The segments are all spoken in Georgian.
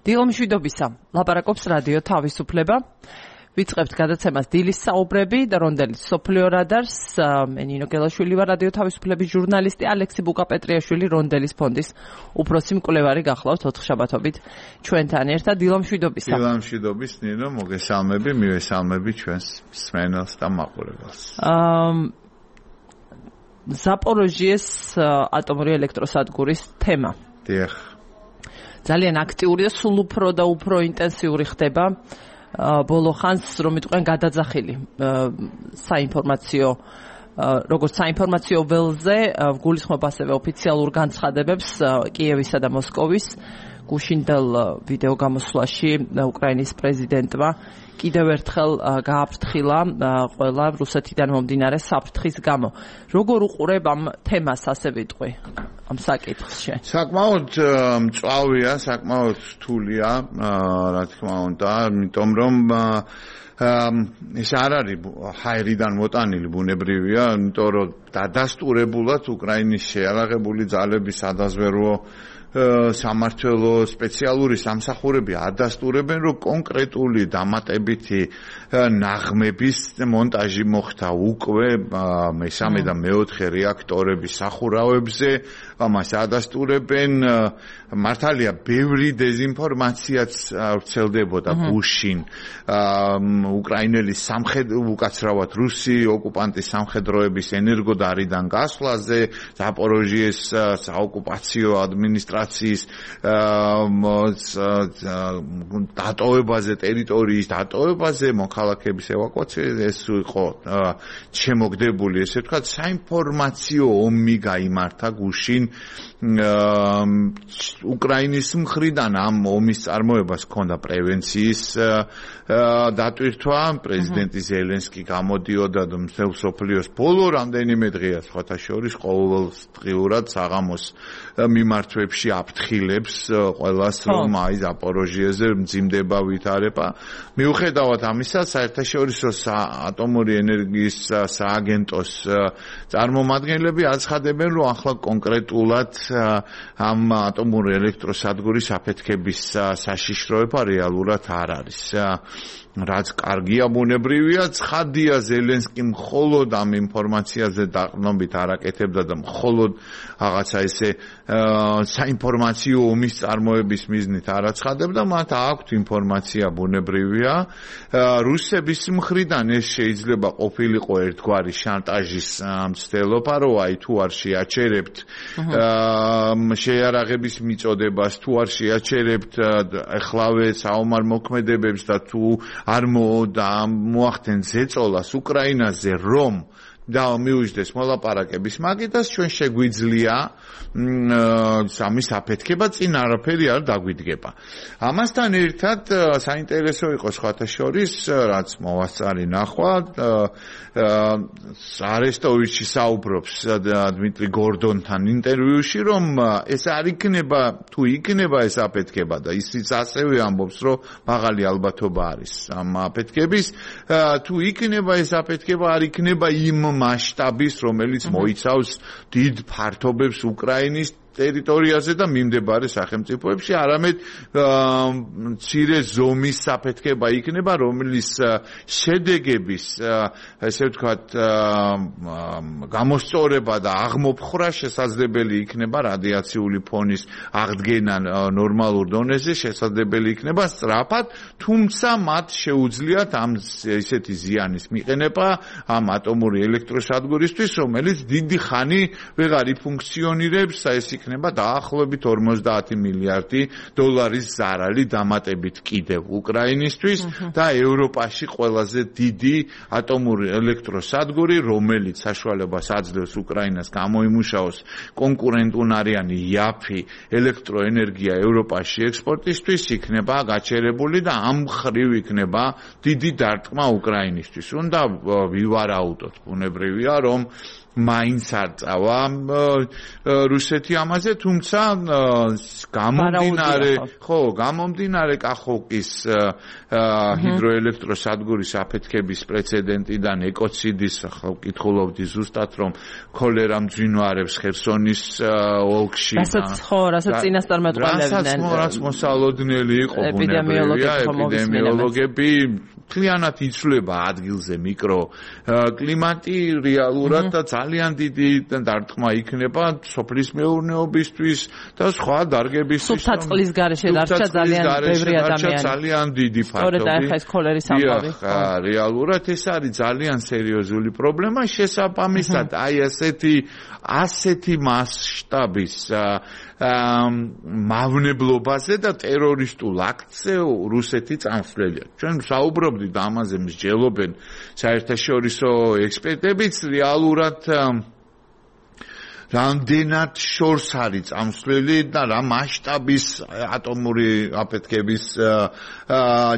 დილომშვიდობისა, ლაპარაკობს რადიო თავისუფლება. ვიწყებთ გადაცემას დილის საუბრები და რონდელის სოფლიო რადარს. მე ნინო გელაშვილი ვარ, რადიო თავისუფლების ჟურნალისტი, ალექსი ბუკაპეტრიაშვილი რონდელის ფონდის უფროსი მკვლევარი გახლავთ 4 შაბათობით ჩვენთან ერთად. დილომშვიდობისა. დილომშვიდობის ნინო, მოგესალმები, მივესალმები ჩვენს მსმენელს და მაყურებელს. ზაპოროჟიეს ატომური ელექტროსადგურის თემა. დიახ. ძალიან აქტიური და სულ უფრო და უფრო ინტენსიური ხდება ბოლო ხანს, რომ იტყვიან გადაძახილი საინფორმაციო როგორც საინფორმაციო ველზე გულისხმობ ასევე ოფიციალურ განცხადებებს კიევისა და მოსკოვის. გუშინდელ ვიდეო გამოსვლაში უკრაინის პრეზიდენტმა კიდევ ერთხელ გააფრთხილა ყველა რუსეთიდან მომდინარე საფრთხის გამო. როგორ უყურებ ამ თემას, ასე ვიტყვი, ამ საკითხს? საკმაოდ მწვავეა, საკმაოდ რთულია, რა თქმა უნდა, იმიტომ რომ ეს არ არის ჰაერიდან მოტანილი, ბუნებრივია, იმიტომ რომ დადასტურებულად უკრაინის შეიარაღებული ძალების სადაზვერვო სამმართველო სპეციალური სამსახურები ადასტურებენ, რომ კონკრეტული დამატებითი ნაღმების მონტაჟი მოხდა უკვე მესამე და მეოთხე რეაქტორების სახურავებზე, ამას ადასტურებენ. მართალია, ბევრი დეზინფორმაციაც ვრცელდებოდა გუშინ უკრაინელი უკაცრავად რუსი ოკუპანტის სამხედროების ენერგოდარიდან გასვლაზე, ზაპოროჟიეს საოკუპაციო ადმინისტრაციის დატოვებაზე, ტერიტორიის დატოვებაზე, მოქალაქეების ევაკუაციაზე. ეს იყო შემოგდებული, ესე ვთქვათ, საინფორმაციო ომი გაიმართა გუშინ უკრაინის მხრიდან. ამ ომის წარმოებას ჰქონდა პრევენციის დატვირთვა. პრეზიდენტი ზელენსკი გამოდიოდა მთელ მსოფლიოს ბოლო რამდენიმე დღეა, სხვათა შორის ყოველდღიურად საღამოს მიმართვებში აფრთხილებს ყველას, რომ აი ზაპოროჟიეზე მძიმდება ვითარება. მიუხედავად ამისა, საერთაშორისო ატომური ენერგიის სააგენტოს წარმომადგენლები აცხადებენ, რომ ახლა კონკრეტულად ამ ატომური ელექტროსადგურის აფეთქების საშიშროება რეალურად არ არის. რაც კარგია, ბუნებრივია, ცხადია, ზელენსკი მხოლოდ ამ ინფორმაციაზე დაყრდნობით არ აკეთებდა და მხოლოდ რაღაცა ესე საინფორმაციო ომის წარმოების მიზნით არ აცხადებდა, მათ აქვთ ინფორმაცია, ბუნებრივია. რუსების მხრიდან ეს შეიძლება ყოფილიყო ერთგვარი შანტაჟის მცდელობა, რომ აი თუ არ შეაჩერებთ შეიარაღების მიწოდებას, თუ არ შეაჩერებთ ახლავე საომარ მოქმედებებს და თუ არ მოახდენ ზეწოლას უკრაინაზე, რომ და მივიждდეს მოლაპარაკების მაგიდას, ჩვენ შეგვიძლია სამის აფეთქება, წინ არაფერი არ დაგვიდგება. ამასთან ერთად საინტერესო იყო სხვათა შორის, რაც მოვასწარი ნახვა, არესტოვიჩი საუბრობს დმიტრი გორდონთან ინტერვიუში, რომ ეს არ იქნება, თუ იქნება ეს აფეთქება და ისიც ასევე ამბობს, რომ მაღალი ალბათობა არის ამ აფეთქების, თუ იქნება ეს აფეთქება, არ იქნება იმ მასშტაბის, რომელიც მოიცავს დიდ ფართობებს უკრაინის ტერიტორიაზე და მიმდებარე სახელმწიფოებში, არამედ მცირე ზომის საფეთქება იქნება, რომლის შედეგების, ესე ვთქვათ, გამოსწორება და აღმოფხრა შესაძლებელი იქნება რადიაციული ფონის აღდგენა ნორმალურ დონეზე, შესაძლებელი იქნება სწრაფად, თუმცა მათ შეუძლიათ ამ ესეთი ზიანის მიყენება ამ ატომური ელექტროსადგურისთვის, რომელიც დიდი ხანი ვეღარ იფუნქციონირებს, ეს იქნება დაახლოებით 50 მილიარდი დოლარის ზარალი დამატებით კიდევ უკრაინისთვის და ევროპაში ყველაზე დიდი ატომური ელექტროსადგური, რომელიც საშუალებას აძლევს უკრაინას გამოიმუშაოს კონკურენტუნარიანი იაფი ელექტროენერგია ევროპაში ექსპორტისთვის, იქნება გაჩერებული და ამ ხრივ იქნება დიდი დარტყმა უკრაინისთვის. უნდა ვივარაუდოთ, ბუნებრივია, რომ მაინც არ წავა რუსეთი ამაზე, თუმცა გამომდინარე კახოვკის ჰიდროელექტროსადგურის აფეთქების პრეცედენტიდან ეკოციდის ახლა ვკითხულობდი ზუსტად რომ ქოლერა მძვინვარებს ხერსონის ოლქში რასაც წინასწარმეტყველებდნენ რაც მოსალოდნელი იყო ეპიდემიოლოგები მთლიანად იცვლება ადგილზე მიკროკლიმატი რეალურად და ძალიან დიდი დარტყმა იქნება სოფლის მეურნეობისთვის და სხვა დარგებისთვის. სუფთა წყლის გარეშე დარჩა ძალიან ბევრი ადამიანი. ძალიან დიდი ფაქტობი. სწორედ ახლა ეს ქოლერის ამბავი. რეალურად ეს არის ძალიან სერიოზული პრობლემა. შესაბამისად, აი ასეთი მასშტაბის მავნებლობაზე და ტერორისტულ აქტზე რუსეთი წამსვლელია. ჩვენ საუბრობდით ამაზე, მსჯელობენ საერთაშორისო ექსპერტებიც რეალურად რამდენად შორს არის წამსვლელი და რა მასშტაბის ატომური აფეთქების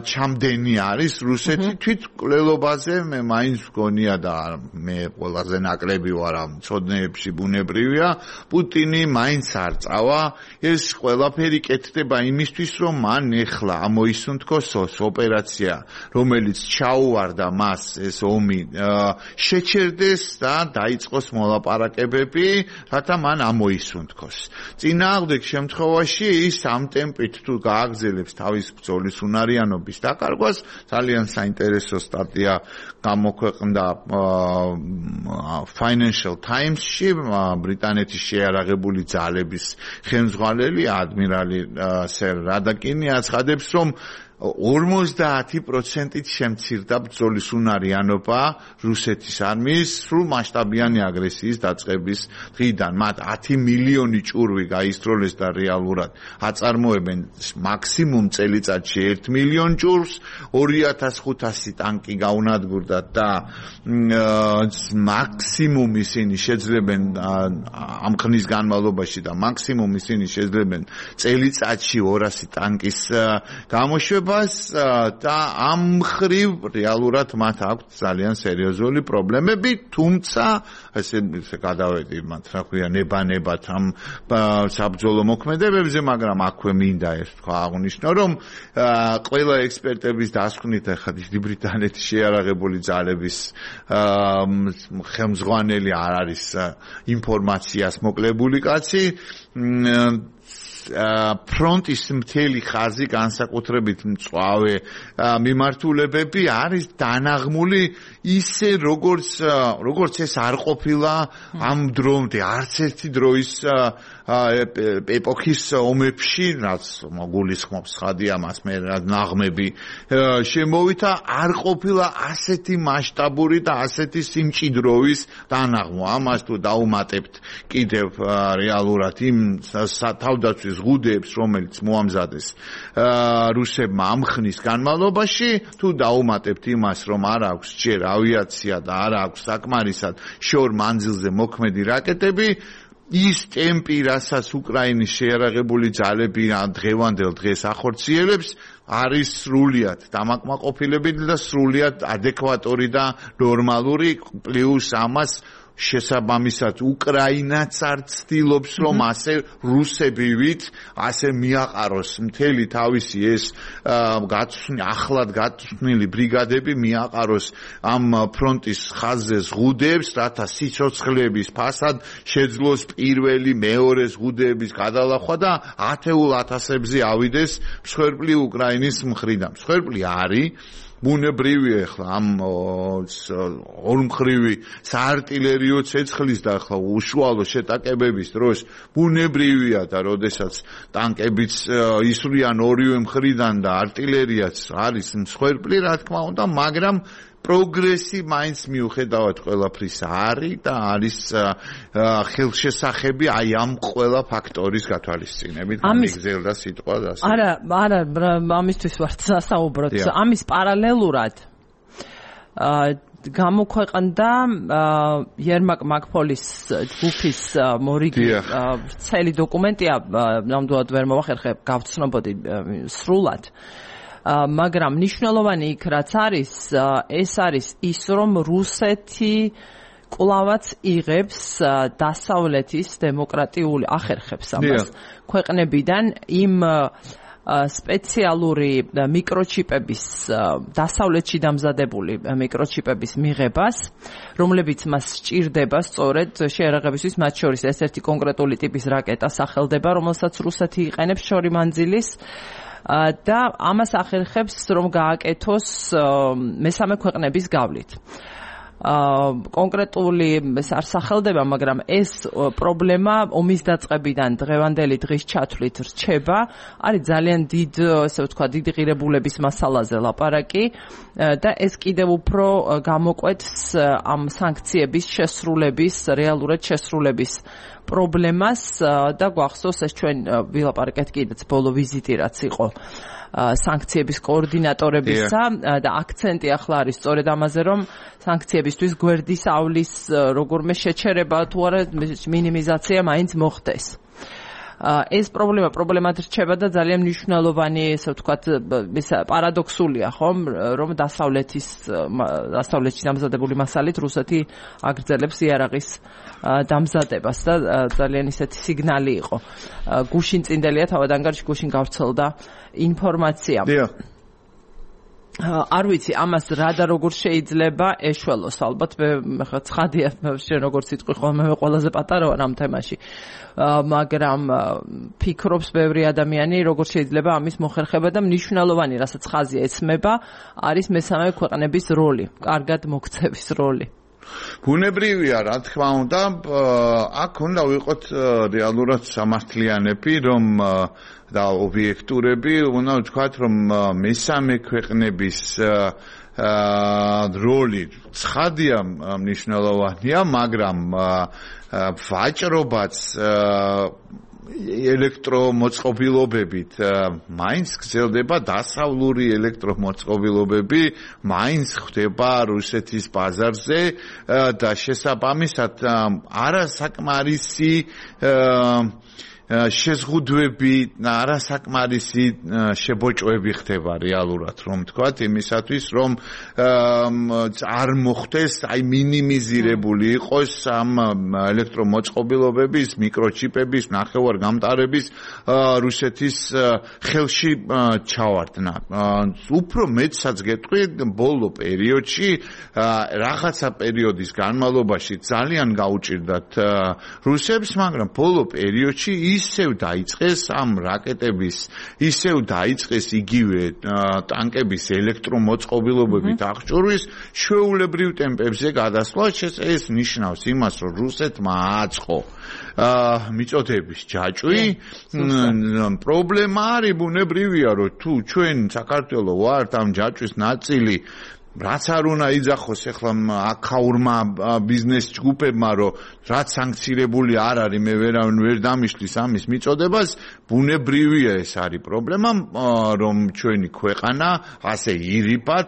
ჩამდენი არის რუსეთი თვით კვლელობაზე მე მაინც მგონია და მე ყველაზე ნაკლები ვარ ამ ცოდნეებში ბუნებრივია პუტინი მაინც არ წავა ეს ყველაფერი კეთდება იმისთვის რომ მან ეხლა ამოისუნთქოს ოპერაცია რომელიც ჩაუვარდა მას ეს ომი შეჩერდეს და დაიწყოს მოლაპარაკებები რათა მან ამოისუნთქოს. წინააღმდეგ შემთხვევაში ის ამ ტემპით თუ გააგრძელებს თავის ბრძოლის უნარიანობის დაკარგვას, ძალიან საინტერესო სტატია გამოქვეყნდა Financial Times-ში, ბრიტანეთის შეიარაღებული ძალების ხელმძღვანელი ადმირალი სერ რადაკინი აცხადებს, რომ 50%-ით შემცირდა ბრძოლის უნარიანობა რუსეთის არმიის სრულ მასშტაბიანი აგრესიის დაწყების დღიდან. მათ 10 მილიონი ჭურვი გაისროლეს და რეალურად აწარმოებენ მაქსიმუმ წელიწადში 1 მილიონ ჭურვს, 2500 ტანკი გაუნადგურდათ და მაქსიმუმ ისინი შეძლებენ ამ ხნის განმავლობაში და მაქსიმუმ ისინი შეძლებენ წელიწადში 200 ტანკის გამოშვება და ამ მხრივ რეალურად მათ აქვთ ძალიან სერიოზული პრობლემები, თუმცა ესე გადავედი მათ რა ქვია ნება-ნებად ამ საბრძოლო მოქმედებებზე, მაგრამ აქვე მინდა ეს თქვა აღნიშნო, რომ ყველა ექსპერტების დასკვნით ახლა დიდი ბრიტანეთის შეიარაღებული ძალების ხელმძღვანელი არ არის ინფორმაციას მოკლებული კაცი ფრონტის მთელი ხაზი განსაკუთრებით მწვავე მიმართულებები არის დანაღმული ისე როგორც ეს არ ყოფილა ამ დრომდე არც ერთი დროის ეპოქის ომებში რაც გულისხმობს ხადი ამას მე ნაღმები შემოვიდა არ ყოფილა ასეთი მასშტაბური და ასეთი სიმჭიდროვის დანაღმვა ამას თუ დაუმატებთ კიდევ რეალურად იმ თავდაცვის ზღუდეებს რომელიც მოამზადეს რუსებმა ამ ხნის განმავლობაში თუ დაუმატებთ იმას რომ არ აქვს ჯერ ავიაცია და არ აქვს საკმარისად შორ მანძილზე მოქმედი რაკეტები ის ტემპი რასაც უკრაინის შეიარაღებული ძალები დღევანდელ დღეს ახორციელებს არის სრულიად დამაკმაყოფილებელი და სრულიად ადეკვატური და ნორმალური პლუს ამას შესაბამისად უკრაინაც არ ცდილობს რომ ასე რუსებივით ასე მიაყაროს მთელი თავისი ეს ახლად გაწვნილი ბრიგადები მიაყაროს ამ ფრონტის ხაზზე ზღუდეებს რათა სიცოცხლების ფასად შეძლოს პირველი მეორე ზღუდეების გადალახვა და ათეულ ათასებზე ავიდეს მსხვერპლი უკრაინის მხრიდან მსხვერპლი არის ბუნებრივია ახლა ამ ორმხრივი საარტილერიო ცეცხლის და ახლა უშუალო შეტაკებების დროს ბუნებრივია და როდესაც ტანკებიც ისვრიან ორივე მხრიდან და არტილერიაც არის მსხვერპლი რა თქმა უნდა მაგრამ პროგრესი მაინც მიუხედავად ყველაფრის არის და არის ხელშესახები აი ამ ყველა ფაქტორის გათვალისწინებით მიგზელდა სიტყვა ასე არა ამისთვის ვარ სასაუბროთ ამის პარალელურად გამოქვეყნდა ერმაკ მაკფოლის ჯგუფის მორიგი ვრცელი დოკუმენტია ნამდვილად ვერ მოვახერხებ გავცნობოდი სრულად მაგრამ მნიშვნელოვანი იქ რაც არის ეს არის ის რომ რუსეთი კლავაც იღებს დასავლეთის დემოკრატიული ახერხებს ამას ქვეყნებიდან იმ სპეციალური მიკროჩიპების დასავლეთში დამზადებული მიკროჩიპების მიღებას, რომლებიც მას სჭირდება სწორედ შეერაღებისთვის, მათ შორის ერთ-ერთი კონკრეტული ტიპის რაკეტა სახელდება, რომელსაც რუსეთი იყენებს შორი მანძილის და ამას ახერხებს, რომ გააკეთოს მესამე ქვეყნების გავლით. კონკრეტული არ სახელდება, მაგრამ ეს პრობლემა ომის დაწყებიდან დღევანდელი დღის ჩათვლით რჩება. არის ძალიან დიდი ღირებულების მასალაზე ლაპარაკი და ეს კიდევ უფრო გამოკვეთს ამ სანქციების შესრულების, რეალურად შესრულების პრობლემას და გვახსოვს ეს ჩვენ ვილაპარაკეთ კიდეც ბოლო ვიზიტი რაც იყო სანქციების კოორდინატორებისა და აქცენტი ახლა არის სწორედ ამაზე, რომ სანქციებისთვის გვერდის ავლის როგორმე შეჩერება თუ არა მინიმიზაცია მაინც მოხდეს. ეს პრობლემად რჩება და ძალიან მნიშვნელოვანი, ესე ვთქვათ, პარადოქსულია, ხომ, რომ დასავლეთში დამზადებული მასალით რუსეთი აგრძელებს იარაღის დამზადებას და ძალიან ისეთი სიგნალი იყო. გუშინ წინდელია თავად ანგარიში გუშინ გავრცელდა ინფორმაცია. არ ვიცი ამას რა და როგორ შეიძლება ეშველოს, ალბათ მე ხა ცხადია შენ როგორც იტყვი ხოლმე მე ყველაზე პატარა ვარ ამ თემაში, მაგრამ ფიქრობს ბევრი ადამიანი როგორ შეიძლება ამის მოხერხება და მნიშვნელოვანი რასაც ხაზია ეცმება არის მესამე ქვეყნების როლი, კარგად მოქცევის როლი. ბუნებრივია, რა თქმა უნდა, აქ უნდა ვიყოთ რეალურად სამართლიანები, რომ და ობიექტურები, უნდა ვთქვათ, რომ მესამე ქვეყნების როლი ცხადია, მნიშვნელოვანია, მაგრამ ვაჭრობაც ელექტრომოწყობილობებით მაინც გრძელდება, დასავლური ელექტრომოწყობილობები მაინც ხდება რუსეთის ბაზარზე და შესაბამისად არასაკმარისი შეზღუდვები, არასაკმარისი შებოჭვები ხდება რეალურად, რომ თქვათ, იმისათვის, რომ არ მოხდეს, აი მინიმიზირებული იყოს ამ ელექტრომოწყობილობების, მიკროჩიპების, ნახევარგამტარების რუსეთის ხელში ჩავარდნა. უფრო მეტსაც გეტყვი, ბოლო პერიოდში, რაღაცა პერიოდის განმავლობაში ძალიან გაუჭირდათ რუსებს, მაგრამ ბოლო პერიოდში ისევ დაიწყეს ამ რაკეტების, ისევ დაიწყეს იგივე ტანკების ელექტრომოწყობილობებით აღჭურვის ჩვეულებრივ ტემპებზე გადასვლა. ეს ნიშნავს იმას, რომ რუსეთმა აწყო მიწოდების ჯაჭვი. პრობლემა არის ბუნებრივია, რომ თუ ჩვენ საქართველო ვართ ამ ჯაჭვის ნაწილი, რაც არ უნდა იძახოს ახლა აქაურმა ბიზნეს ჯგუფებმა, რომ რაც სანქცირებული არ არის, მე ვერ დამიშლის ამის მიწოდებას, ბუნებრივია ეს არის პრობლემა, რომ ჩვენი ქვეყანა ასე ირიბად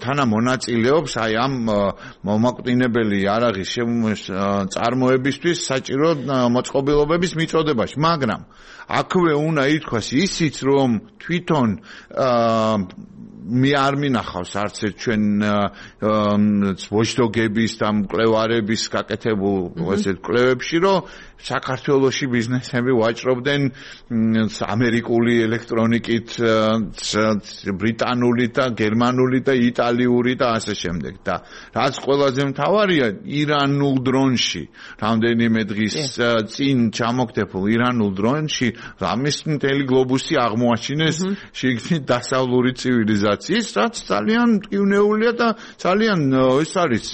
თანამონაწილეობს აი ამ მომაკვდინებელი იარაღის წარმოებისთვის საჭირო მოწყობილობების მიწოდებაში, მაგრამ აქვე უნდა ითქვას ისიც, რომ თვითონ მე არ მინახავს არც ერთ ჩვენ ვოჩდოგების და მკვლევარების გაკეთებულ ესეთ კვლევებში, რომ საქართველოში ბიზნესები ვაჭრობდნენ ამერიკული ელექტრონიკით, ბრიტანული და გერმანული და იტალიური და ასე შემდეგ. და რაც ყველაზე მთავარია, ირანულ დრონში, რამდენიმე დღის წინ ჩამოგდებულ ირანულ დრონში, ამის მთელი გლობუსი აღმოაჩინეს შიგნით დასავლური ცივილიზაციის, რაც ძალიან მტკივნეულია და ძალიან ეს არის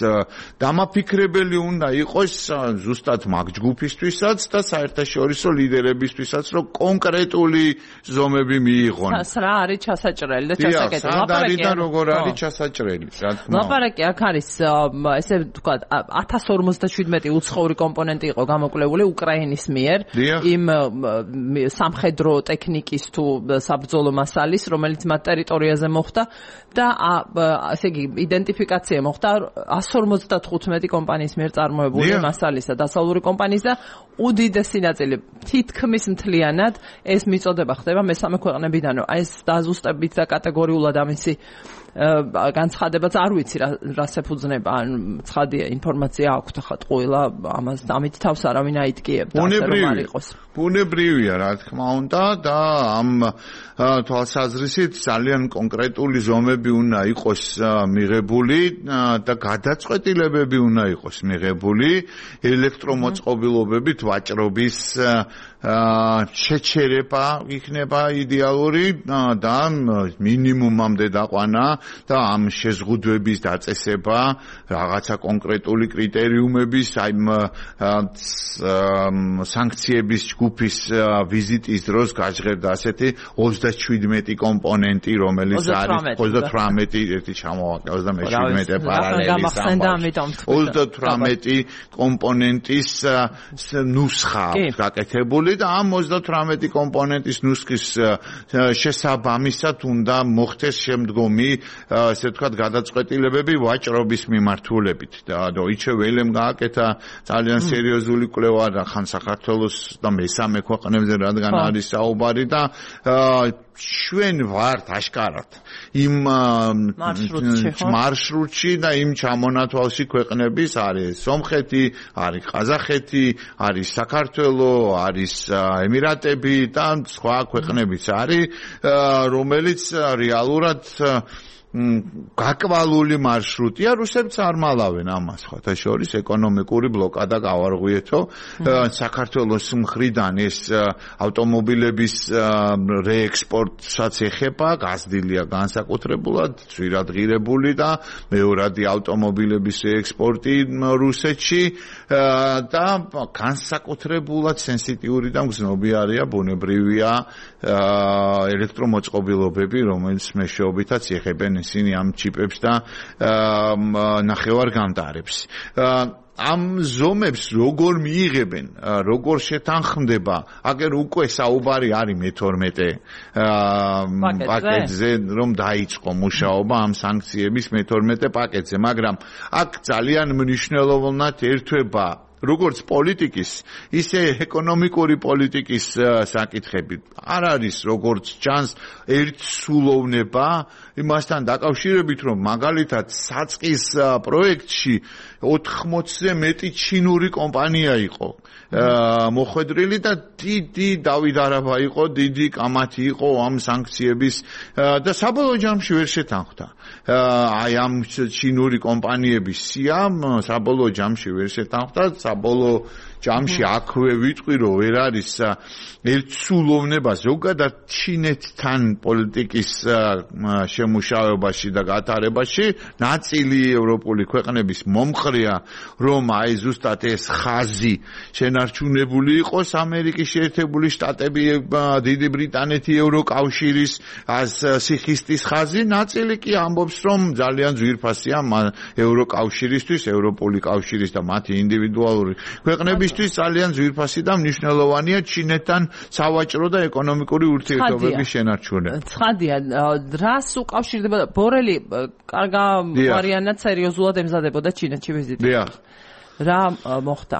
დამაფიქრებელი უნდა იყოს ზუსტად მაგ ჯგუფისთვის და საერთაშორისო ლიდერებისთვისაც, რომ კონკრეტული ზომები მიიღონ. რა არის ჩასაჭრელი და ჩასაკეტილი? ლაპარაკი და როგორ არის ჩასაჭრელი? ლაპარაკი აქ არის, ესე ვთქვათ, 1057 უცხოური კომპონენტი იყო გამოკვლეული უკრაინის მიერ იმ სამხედრო ტექნიკის თუ საბრძოლო მასალის, რომელიც მათ ტერიტორიაზე მოხდა და ასე იგი იდენტიფიკაცია მოხდა 155 კომპანიის მიერ წარმოებული მასალის და დასავლური კომპანიის და უდიდესი ნაწილი თითქმის მთლიანად ეს მიწოდება ხდება მესამე ქვეყნებიდან, რომ აი ეს დაზუსტებით და კატეგორიულად ამისი განცხადებაც არ ვიცი რას ეფუძნება, ან ცხადია ინფორმაცია აქვს ხა ტყუილა ამას ამით თავს არავინ აიტკიებდა, ასე რომ არ იყოს. ბუნებრივია, რა თქმა უნდა და ამ თვალსაზრისით ძალიან კონკრეტული ზომები უნდა იყოს მიღებული და გადაწყვეტილებები უნდა იყოს მიღებული ელექტრომოწყობილობებით ვაჭრობის შეჩერება იქნება იდეალური და მინიმუმამდე დაყვანა და ამ შეზღუდვების დაწესება რაღაცა კონკრეტული კრიტერიუმების აი სანქციების ჯგუფის ვიზიტის დროს გაჟღერდა ასეთი 37 კომპონენტი რომელიც არის 38 ერთი ჩამოვაკეთე 37 პარალელი 38 კომპონენტის ნუსხა გაკეთებული და ამ 38 კომპონენტის ნუსხის შესაბამისად უნდა მოხდეს შემდგომი ესე ვთქვათ გადაწყვეტილებები ვაჭრობის მიმართულებით და Deutsche Welle-მ გააკეთა ძალიან სერიოზული კვლევა და ხან საქართველოს და მესამე ქვეყნებზე რადგან არის საუბარი და ჩვენ ვართ აშკარად იმ მარშრუტში და იმ ჩამონათვალში ქვეყნების არის სომხეთი, არის ყაზახეთი, არის საქართველო, არის ემირატები და სხვა ქვეყნებიც არის, რომელიც რეალურად გაკვალული მარშრუტია, რუსებიც არ მალავენ ამას, ხოთა შორის ეკონომიკური ბლოკადა გავარღვიეთო, საქართველოს მხრიდან ეს ავტომობილების რეექსპორტსაც ეხება, გაზრდილია განსაკუთრებულად, ძვირადღირებული და მეორადი ავტომობილების ექსპორტი რუსეთში და განსაკუთრებულად სენსიტიური და მგზნობიარეა ბუნებრივია ელექტრომოწყობილობები, რომელიც მეშვეობითაც ეხებენ ისინი ამ ჩიპებს და ნახევარგამტარებს. ამ ზომებს როგორ მიიღებენ, როგორ შეთანხმდება, აგერ უკვე საუბარი არის მე-12 პაკეტზე, რომ დაიწყო მუშაობა ამ სანქციების მე-12 პაკეტზე, მაგრამ აქ ძალიან მნიშვნელოვნად ერთვება როგორც პოლიტიკის, ისე ეკონომიკური პოლიტიკის საკითხები. არ არის როგორც ჩანს ერთსულოვნება იმასთან დაკავშირებით, რომ მაგალითად საწყის პროექტში 80-ზე მეტი ჩინური კომპანია იყო მოხვედრილი და დიდი დავიდარება იყო, დიდი კამათი იყო ამ სანქციების და საბოლოო ჯამში ვერ შეთანხმდა. აი ამ ჩინური კომპანიების სიამ საბოლოო ჯამში ვერ შეთანხმდა, საბოლოო ჯამში აქვე ვიტყვი, რომ ვერ არის ერთსულოვნება ზოგადად ჩინეთთან პოლიტიკის შემუშავებაში და გატარებაში. ნაწილი ევროპული ქვეყნების მომხრეა, რომ აი ზუსტად ეს ხაზი შენარჩუნებული იყოს ამერიკის შეერთებული შტატები, დიდი ბრიტანეთი, ევროკავშირის სიხისტის ხაზი. ნაწილი კი ამბობს, რომ ძალიან ძვირფასია ევროკავშირისთვის, ევროპული კავშირის და მათი ინდივიდუალური ქვეყნებისთვის ძალიან ძვირფასი და მნიშვნელოვანია ჩინეთთან სავაჭრო და ეკონომიკური ურთიერთობების შენარჩუნება. ცხადია, რას უკავშირდება ბორელი კარგა ვარიანტად სერიოზულად ემზადებოდა ჩინეთში ვიზიტი. რა მოხდა?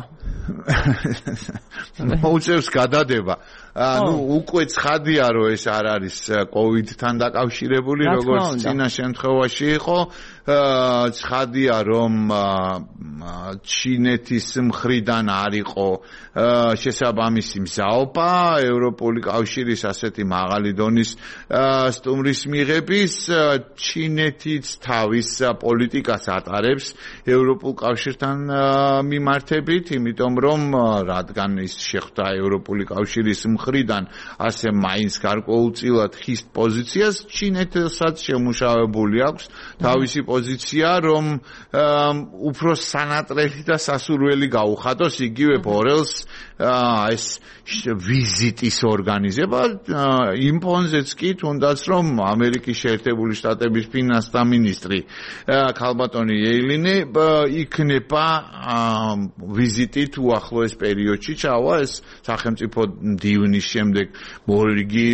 მოუწევს გადადება. უკვე ცხადია, რომ ეს არ არის COVID-თან დაკავშირებული, როგორც წინა შემთხვევაში იყო. ცხადია, რომ ჩინეთის მხრიდან არ იყო შესაბამისი მზაობა ევროპული კავშირის ასეთი მაღალი დონის სტუმრის მიღების. ჩინეთიც თავის პოლიტიკას ატარებს ევროპულ კავშირთან მიმართებით, იმიტომ რომ რადგან ის შეხვდა ევროპული კავშირის მხრიდან ასე მაინც გარკვეულწილად ხის პოზიციას, ჩინეთსაც შემუშავებული აქვს თავისი პოზიცია, რომ უფრო სანატრელი და სასურველი გაუხატოს იგივე ბორელს ეს ვიზიტის ორგანიზება იმ ფონზეც კი თუნდაც რომ ამერიკის შეერთებული შტატების ფინანსთა მინისტრი ქალბატონი იეილინი იქნება ვიზიტით უახლოეს პერიოდში ჩავა ეს სახელმწიფო მდივნი ბაიდენის შემდეგ მორიგი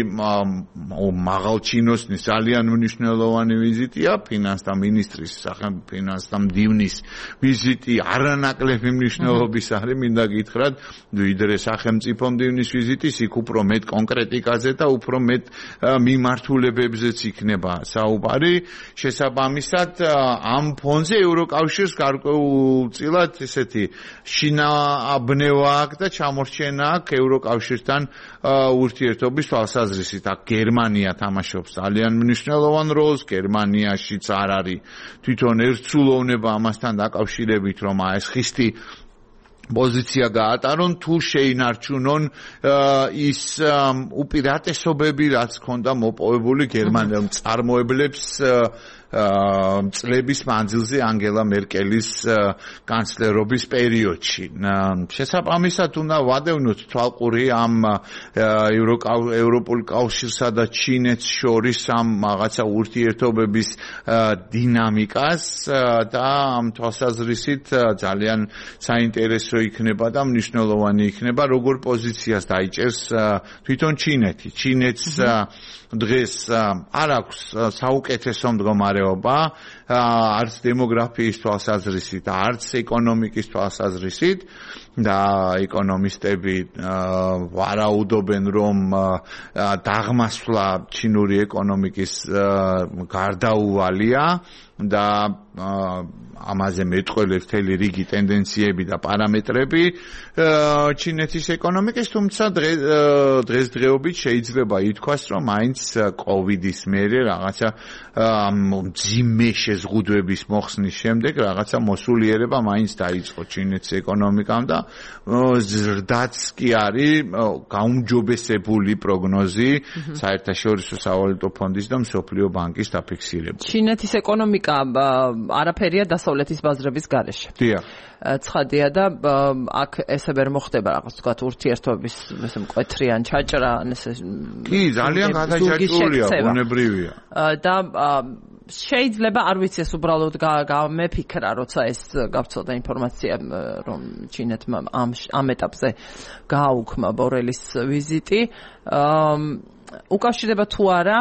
მაღალჩინოსნის ძალიან მნიშვნელოვანი ვიზიტია, ფინანსთა მინისტრის, სახელმწიფო ფინანსთა მდივნის ვიზიტი არანაკლები მნიშვნელობის არის, მინდა გითხრათ, ვიდრე სახელმწიფო მდივნის ვიზიტის, იქ უფრო მეტ კონკრეტიკაზე და უფრო მეტ მიმართულებებზეც იქნება საუბარი. შესაბამისად, ამ ფონზე ევროკავშირს გარკვეულწილად ესეთი შინააბნევა აქვს და ჩამორჩენა აქვს ევროკავშირთან ურთიერთობის თვალსაზრისით. აქ გერმანია თამაშობს ძალიან მნიშვნელოვან როლს, გერმანიაშიც არ არის თვითონ ერთსულოვნება ამასთან დაკავშირებით, რომ ეს ხისტი პოზიცია გაატარონ, თუ შეინარჩუნონ ის უპირატესობები, რაც ჰქონდა მოპოვებული გერმანელ მწარმოებლებს წლების მანძილზე ანგელა მერკელის კანცლერობის პერიოდში. შესაბამისად უნდა ვადევნოთ თვალყური ამ ევროპულ კავშირსა და ჩინეთს შორის ამ რაღაცა ურთიერთობების დინამიკას და ამ თვალსაზრისით ძალიან საინტერესო იქნება და მნიშვნელოვანი იქნება, როგორ პოზიციას დაიჭერს თვითონ ჩინეთი. ჩინეთს დღეს არ აქვს საუკეთესო მდგომარეობა, არც დემოგრაფიის თვალსაზრისით, არც ეკონომიკის თვალსაზრისით და ეკონომისტები ვარაუდობენ, რომ დაღმასვლა ჩინური ეკონომიკის გარდაუვალია და ამაზე მეტყველებს მთელი რიგი ტენდენციები და პარამეტრები ჩინეთის ეკონომიკის, თუმცა დღესდღეობით შეიძლება ითქვას, რომ მაინც კოვიდის მერე რაღაცა მძიმე შეზღუდვების მოხსნის შემდეგ რაღაცა მოსულიერება მაინც დაიწყო ჩინეთის ეკონომიკამ და ზრდაც კი არის გაუმჯობესებული პროგნოზი საერთაშორისო სავალუტო ფონდის და მსოფლიო ბანკის დაფიქსირებული. ჩინეთის ეკონომიკა არაფერია დასავლეთის ბაზრების გარეშე. დიახ. ცხადია და აქ ესე ვერ მოხდება რაღაც თქვა ურთიერთობის ესე მკვეთრიან ჩაჭრა, ესე კი, ძალიან გადაჭრილია, ბუნებრივია. და შეიძლება არ ვიცი ეს უბრალოდ გამეფიქრა, როცა ეს გავცელდა ინფორმაცია, რომ ჩინეთმა ამ ეტაპზე გააუქმა ბორელის ვიზიტი. უკავშირდება თუ არა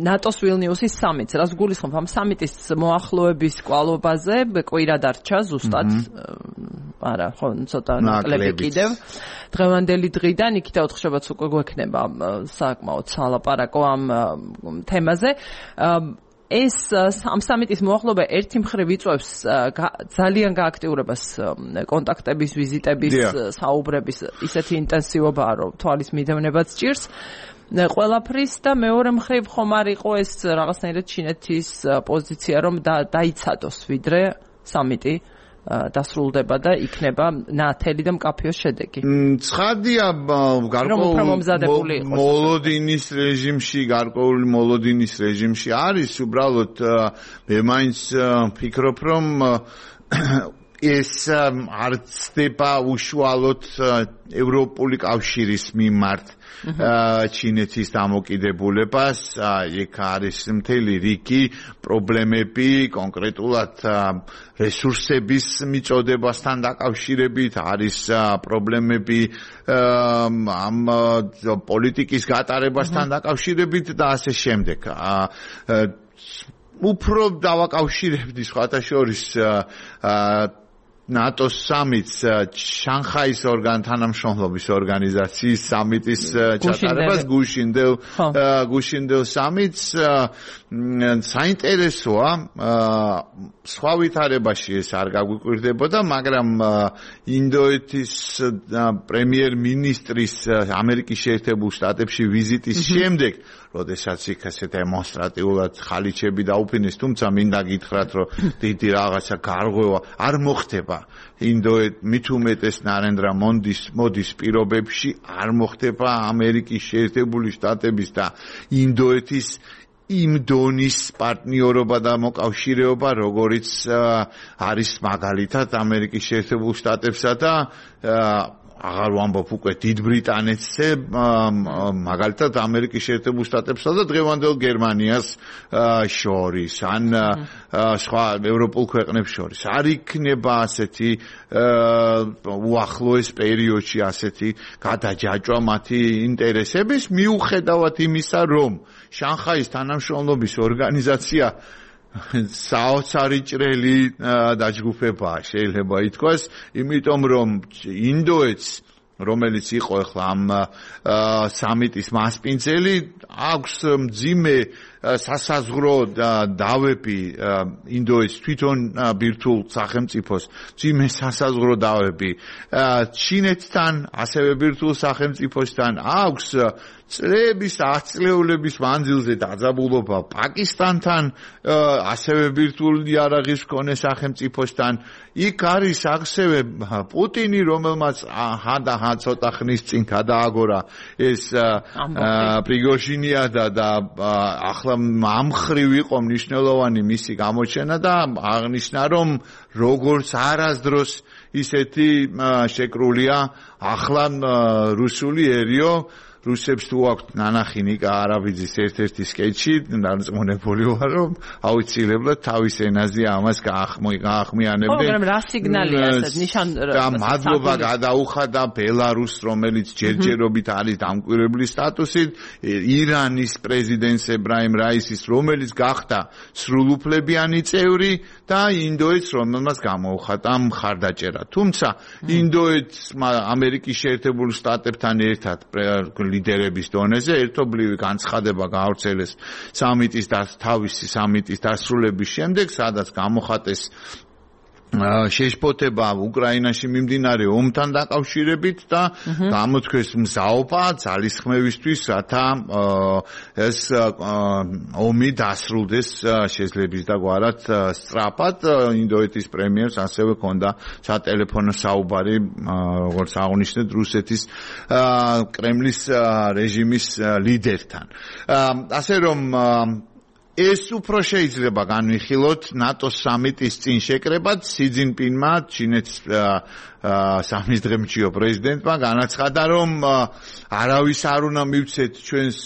ნატოს ვილნიუსის სამიტს, რაც გულისხმობს ამ სამიტის მოახლოების კვალობაზე, კვირა დარჩა ზუსტად. არა, ხო, ცოტა ნაკლები კიდევ. დღევანდელი დღიდან იქით 4 შაბათს უკვე გვექნება საკმაოდ სალაპარაკო ამ თემაზე. ეს ამ სამიტის მოახლოება ერთი მხრივ იწვევს ძალიან გააქტიურებას კონტაქტების, ვიზიტების, საუბრების ისეთი ინტენსივობაა, რომ თვალის მიდევნებაც ჭირს. ყველაფრის და მეორე მხრივ ხომ არ იყო ეს რაღაცნაირად ჩინეთის პოზიცია, რომ დაიცადოს ვიდრე სამიტი დასრულდება და იქნება ნათელი და მკაფიო შედეგი. ცხადია, გარკვეული მოლოდინის რეჟიმში არის, უბრალოდ მე მაინც ფიქრობ, რომ ეს არ ცდება უშუალოდ ევროპული კავშირის მიმართ ჩინეთის დამოკიდებულებას. იქ არის მთელი რიგი პრობლემები, კონკრეტულად რესურსების მიწოდებასთან დაკავშირებით, არის პრობლემები ამ პოლიტიკის გატარებასთან დაკავშირებით და ასე შემდეგ. უფრო დავაკავშირებდი სხვათა შორის ნატოს სამიტს შანხაის თანამშრომლობის ორგანიზაციის სამიტის ჩატარებას გუშინდელ სამიტს საინტერესოა სხვა ვითარებაში ეს არ გაგვიკვირდებოდა, მაგრამ ინდოეთის პრემიერ-მინისტრის ამერიკის შეერთებულ შტატებში ვიზიტის შემდეგ, როდესაც იქ ასე დემონსტრატიულად ხალიჩები დაუფინეს, თუმცა მინდა გითხრათ, რომ დიდი რაღაცა გარღვევა არ მოხდება მით უმეტეს ნარენდრა მოდის პირობებში, არ მოხდება ამერიკის შეერთებული შტატების და ინდოეთის იმ დონის პარტნიორობა და მოკავშირეობა, როგორიც არის მაგალითად ამერიკის შეერთებულ შტატებსა და აღარ ვამბობ უკვე დიდ ბრიტანეთზე, მაგალითად ამერიკის შეერთებულ შტატებსა და დღევანდელ გერმანიას შორის, ან სხვა ევროპულ ქვეყნებს შორის. არ იქნება ასეთი უახლოეს პერიოდში ასეთი გადაჯაჭვა მათი ინტერესების, მიუხედავად იმისა, რომ შანხაის თანამშრომლობის ორგანიზაცია საოცარი ჭრელი დაჯგუფებაა, შეიძლება ითქვას, იმიტომ რომ ინდოეთს, რომელიც იყო ახლა ამ სამიტის მასპინძელი, აქვს მძიმე სასაზღვრო დავები ინდოეთის თვითონ ბირთვულ სახელმწიფოს, მძიმე სასაზღვრო დავები ჩინეთთან, ასევე ბირთვულ სახელმწიფოსთან, აქვს წლების, ათწლეულების მანძილზე დაძაბულობა პაკისტანთან, ასევე ბირთვულ იარაღის მქონე სახელმწიფოსთან. იქ არის ასევე პუტინი, რომელმაც ცოტა ხნის წინ გადააგორა ეს პრიგოჟინია და ახლა ამ მხრივ იყო მნიშვნელოვანი მისი გამოჩენა და აღნიშნა, რომ როგორც არასდროს ისეთი შეკრულია ახლა რუსული ერიო. რუსებს თუ აქვთ ნანახი ნიკა არაბიძის ერთ-ერთი სკეჩი, დარწმუნებული ვარ, რომ აუცილებლად თავის ენაზე ამას გაახმიანებდნენ. მაგრამ რა სიგნალია ეს ნიშან და მადლობა გადაუხადა ბელარუსს, რომელიც ჯერჯერობით არის დამკვირვებლის სტატუსით, ირანის პრეზიდენტს ებრაიმ რაისის, რომელიც გახდა სრულუფლებიანი წევრი და ინდოეთს, რომელმაც გამოუხატა მხარდაჭერა. თუმცა ინდოეთს ამერიკის შეერთებული შტატებთან ერთად ლიდერების დონეზე ერთობლივი განცხადება გაავრცელეს თავისი სამიტის დასრულების შემდეგ, სადაც გამოხატეს შეშფოთება უკრაინაში მიმდინარე ომთან დაკავშირებით და გამოთქვეს მზაობა ძალისხმევისთვის, რათა ეს ომი დასრულდეს შეძლების და გვარად სწრაფად. ინდოეთის პრემიერს ასევე ჰქონდა სატელეფონო საუბარი, როგორც აღნიშნეთ, რუსეთის კრემლის რეჟიმის ლიდერთან. ასე რომ ეს უფრო შეიძლება განვიხილოთ ნატოს სამიტის წინ შეკრებად. სი ძინპინმა, ჩინეთის სამიზდღემჭიო პრეზიდენტმა განაცხადა, რომ არავის არ უნდა მივცეთ ჩვენს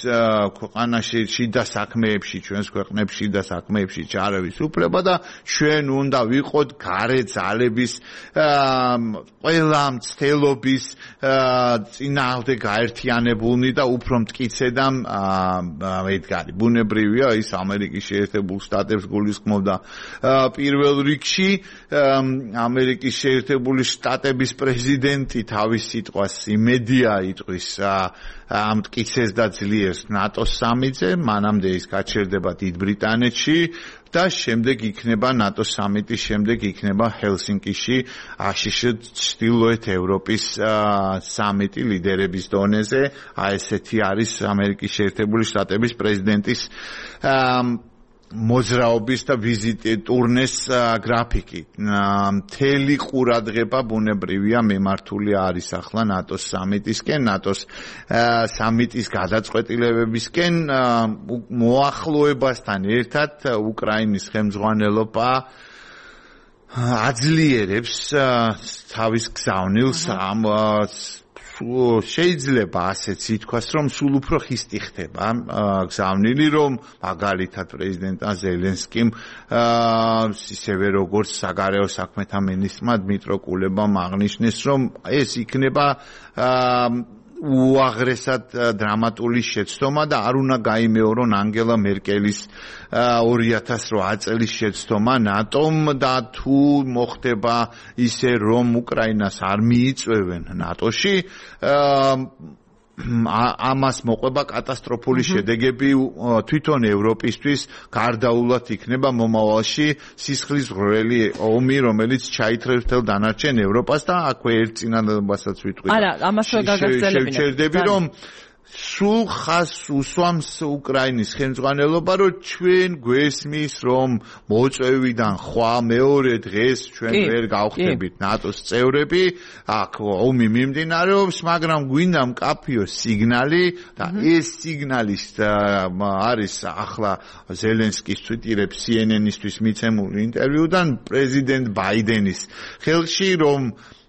ქვეყანაში შიდა საქმეებში, ჩვენს ქვეყნებში შიდა საქმეებში ჩარევის უფლება და ჩვენ უნდა ვიყოთ გარე ძალების ყველა მცდელობის წინააღმდეგ გაერთიანებულნი და უფრო მტკიცე და მედგარი. ბუნებრივია, ის ამერიკის შეერთებულ შტატებს გულისხმობდა პირველ რიგში. ამერიკის შეერთებული შტატების პრეზიდენტი თავის სიტყვას იმედია იტყვის მტკიცეს და ძლიერს ნატოს სამიტზე, მანამდე ის გაჩერდება დიდ ბრიტანეთში და შემდეგ იქნება ნატოს სამიტის შემდეგ იქნება ჰელსინკიში აშშ ჩრდილოეთ ევროპის სამიტი ლიდერების დონეზე. ესეთი არის ამერიკის შეერთებული შტატების პრეზიდენტის მოძრაობის და ვიზიტი ტურნეს გრაფიკი. მთელი ყურადღება ბუნებრივია მემართული არის ახლა ნატოს სამიტისკენ, ნატოს სამიტის გადაწყვეტილებებისკენ. მოახლოებასთან ერთად უკრაინის ხელმძღვანელობა აძლიერებს თავის გზავნილს ამ შეიძლება ასეც ითქვას, რომ სულ უფრო ხისტი ხდება გზავნილი, რომ მაგალითად პრეზიდენტ ზელენსკიმ ისევე როგორც საგარეო საქმეთა მინისტრმა დმიტრო კულებამ აღნიშნეს, რომ ეს იქნება უაღრესად დრამატული შეცდომა და არ უნდა გაიმეორონ ანგელა მერკელის 2008 წლის შეცდომა ნატომ და თუ მოხდება ისე, რომ უკრაინას არ მიიწვევენ ნატოში, ამას მოყვება კატასტროფული შედეგები თვითონ ევროპისთვის. გარდაულად იქნება მომავალში სისხლის ღრმავი ომი, რომელიც ჩაითრევს მთელ დანარჩენ ევროპას და აქვე ერთ წინადადებასაც ვიტყვი. არა, ამას ვერ გაგაგრძელებინებ. შევჩერდები, რომ სულ ხაზს უსვამს უკრაინის ხელმძღვანელობა, რომ ჩვენ გვესმის, რომ მოწვევიდან ხვალ მეორე დღეს ჩვენ ვერ გავხდებით ნატოს წევრები, აქ ომი მიმდინარეობს, მაგრამ გვინდა მკაფიო სიგნალი და ეს სიგნალი არის ახლა ზელენსკის ციტირებს CNN-ისთვის მიცემულ ინტერვიუდან პრეზიდენტ ბაიდენის ხელში, რომ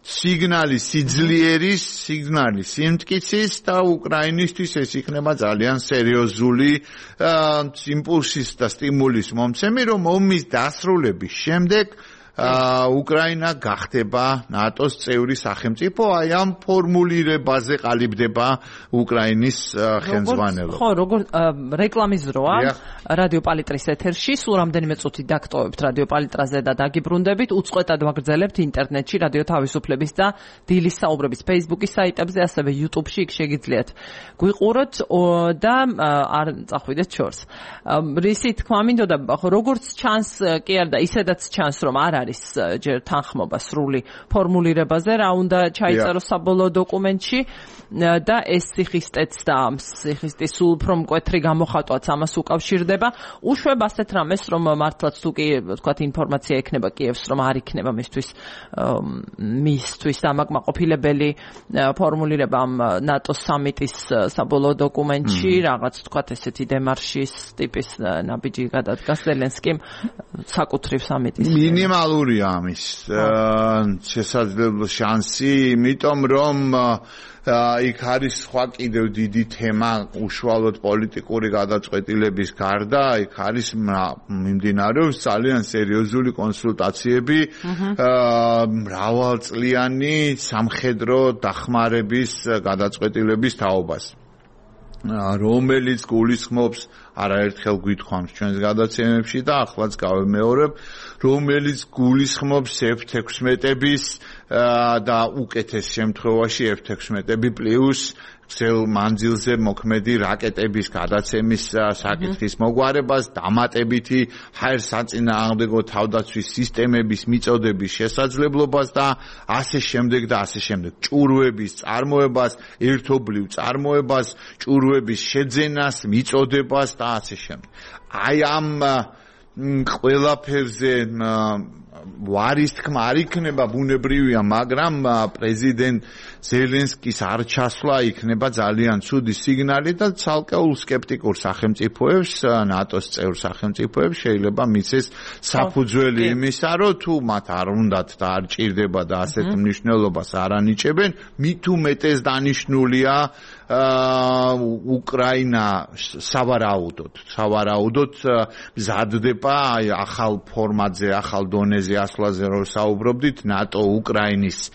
სიგნალი სიძლიერის, სიგნალი სიმტკიცის და უკრაინისთვის ეს იქნება ძალიან სერიოზული იმპულსის და სტიმულის მომცემი, რომ ომის დასრულების შემდეგ უკრაინა გახდება ნატოს წევრი სახელმწიფო, აი ამ ფორმულირებაზე ყალიბდება უკრაინის ხელმძღვანელობა. ხო, როგორ რეკლამის დროა რადიო პალიტრის ეთერში, სულ რამდენიმე წუთი დაგტოვებთ რადიო პალიტრაზე და დაგიბრუნდებით, უწყვეტად ვაგრძელებთ ინტერნეტში რადიო თავისუფლების და დილის საუბრების Facebook-ის საიტებზე, ასევე YouTube-ში იქ შეგიძლიათ გვიყუროთ და არ წახვიდეთ შორს. რისი თქმა მინდოდა, როგორც ჩანს, კი არა და ისედაც ჩანს, რომ არ არის ჯერ თანხმობა სრული ფორმულირებაზე, რა უნდა ჩაიწეროს საბოლოო დოკუმენტში და ეს სიხისტეც და სიხისტის სულ უფრო მკვეთრი გამოხატვაც ამას უკავშირდება. უშვებ ასეთ რამეს, რომ მართლაც თუ კი ვთქვათ ინფორმაცია ექნება კიევს, რომ არ იქნება მისთვის დამაკმაყოფილებელი ფორმულირება ამ ნატოს სამიტის საბოლოო დოკუმენტში, რაღაც ვთქვათ ესეთი დემარშის ტიპის ნაბიჯი გადადგას ზელენსკიმ საკუთრივ სამიტის. მინიმალურია ამის შესაძლებლო შანსი, იმიტომ რომ იქ არის სხვა კიდევ დიდი თემა უშუალოდ პოლიტიკური გადაწყვეტილების გარდა, იქ არის მიმდინარეობს ძალიან სერიოზული კონსულტაციები მრავალწლიანი სამხედრო დახმარების გადაწყვეტილების თაობას, რომელიც გულისხმობს არაერთხელ გვითხოვთ ჩვენს გადაცემებში და ახლაც გავემეორებ, რომელიც გულისხმობს F-16-ების და უკეთეს შემთხვევაში F-16-ები პლუს გრძელ მანძილზე მოქმედი რაკეტების გადაცემის საკითხის მოგვარებას, დამატებითი ჰაერსაწინააღმდეგო თავდაცვის სისტემების მიწოდების შესაძლებლობას და ასე შემდეგ და ასე შემდეგ. ჭურვების წარმოებას, ერთობლივ წარმოებას, ჭურვების შეძენას, მიწოდებას და ასე შემდეგ. აი ამ ყველაფერზე ვარის თქმა არ იქნება ბუნებრივია, მაგრამ პრეზიდენტ ზელენსკის არ ჩასვლა იქნება ძალიან ცუდი სიგნალი და ცალკეულ სკეპტიკურ სახელმწიფოებს, ნატოს წევრ სახელმწიფოებს შეიძლება მიცეს საფუძველი იმისა, რომ თუ მათ არ უნდათ და არ ჭირდება და ასეთ მნიშვნელობას არ ანიჭებენ, მით უმეტეს დანიშნულია უკრაინა სავარაუდოდ მზადდება ახალ ფორმატზე, ახალ დონეზე ასვლაზე რომ საუბრობდით, ნატო უკრაინის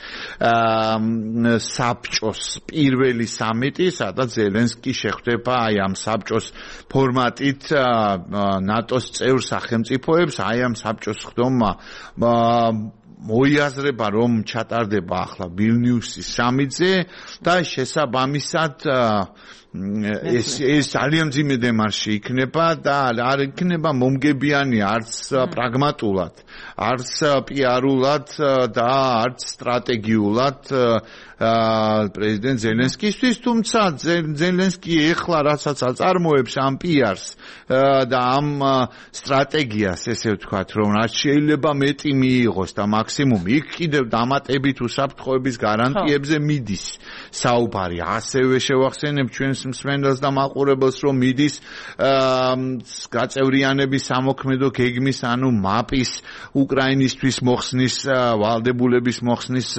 საბჭოს პირველი სამიტი, სადაც ზელენსკი შეხვდება აი ამ საბჭოს ფორმატით ნატოს წევრ სახელმწიფოებს, აი ამ საბჭოს ხდომა მოიაზრება, რომ ჩატარდება ახლა ვილნიუსის სამიტზე და შესაბამისად ეს ძალიან მძიმე დემარში იქნება და არ იქნება მომგებიანი არც პრაგმატულად, არც პიარულად და არც სტრატეგიულად პრეზიდენტ ზელენსკისთვის, თუმცა ზელენსკი ეხლა რასაც აწარმოებს ამ პიარს და ამ სტრატეგიას, ესე ვთქვათ, რომ რაც შეიძლება მეტი მიიღოს და მაქსიმუმი, იქ კიდევ დამატებით უსაფრთხოების გარანტიებზე მიდის საუბარი. ასევე შევახსენებ ჩვენს მსმენელს და მაყურებელს, რომ მიდის გაწევრიანების სამოქმედო გეგმის, ანუ მაპის უკრაინისთვის მოხსნის, ვალდებულების მოხსნის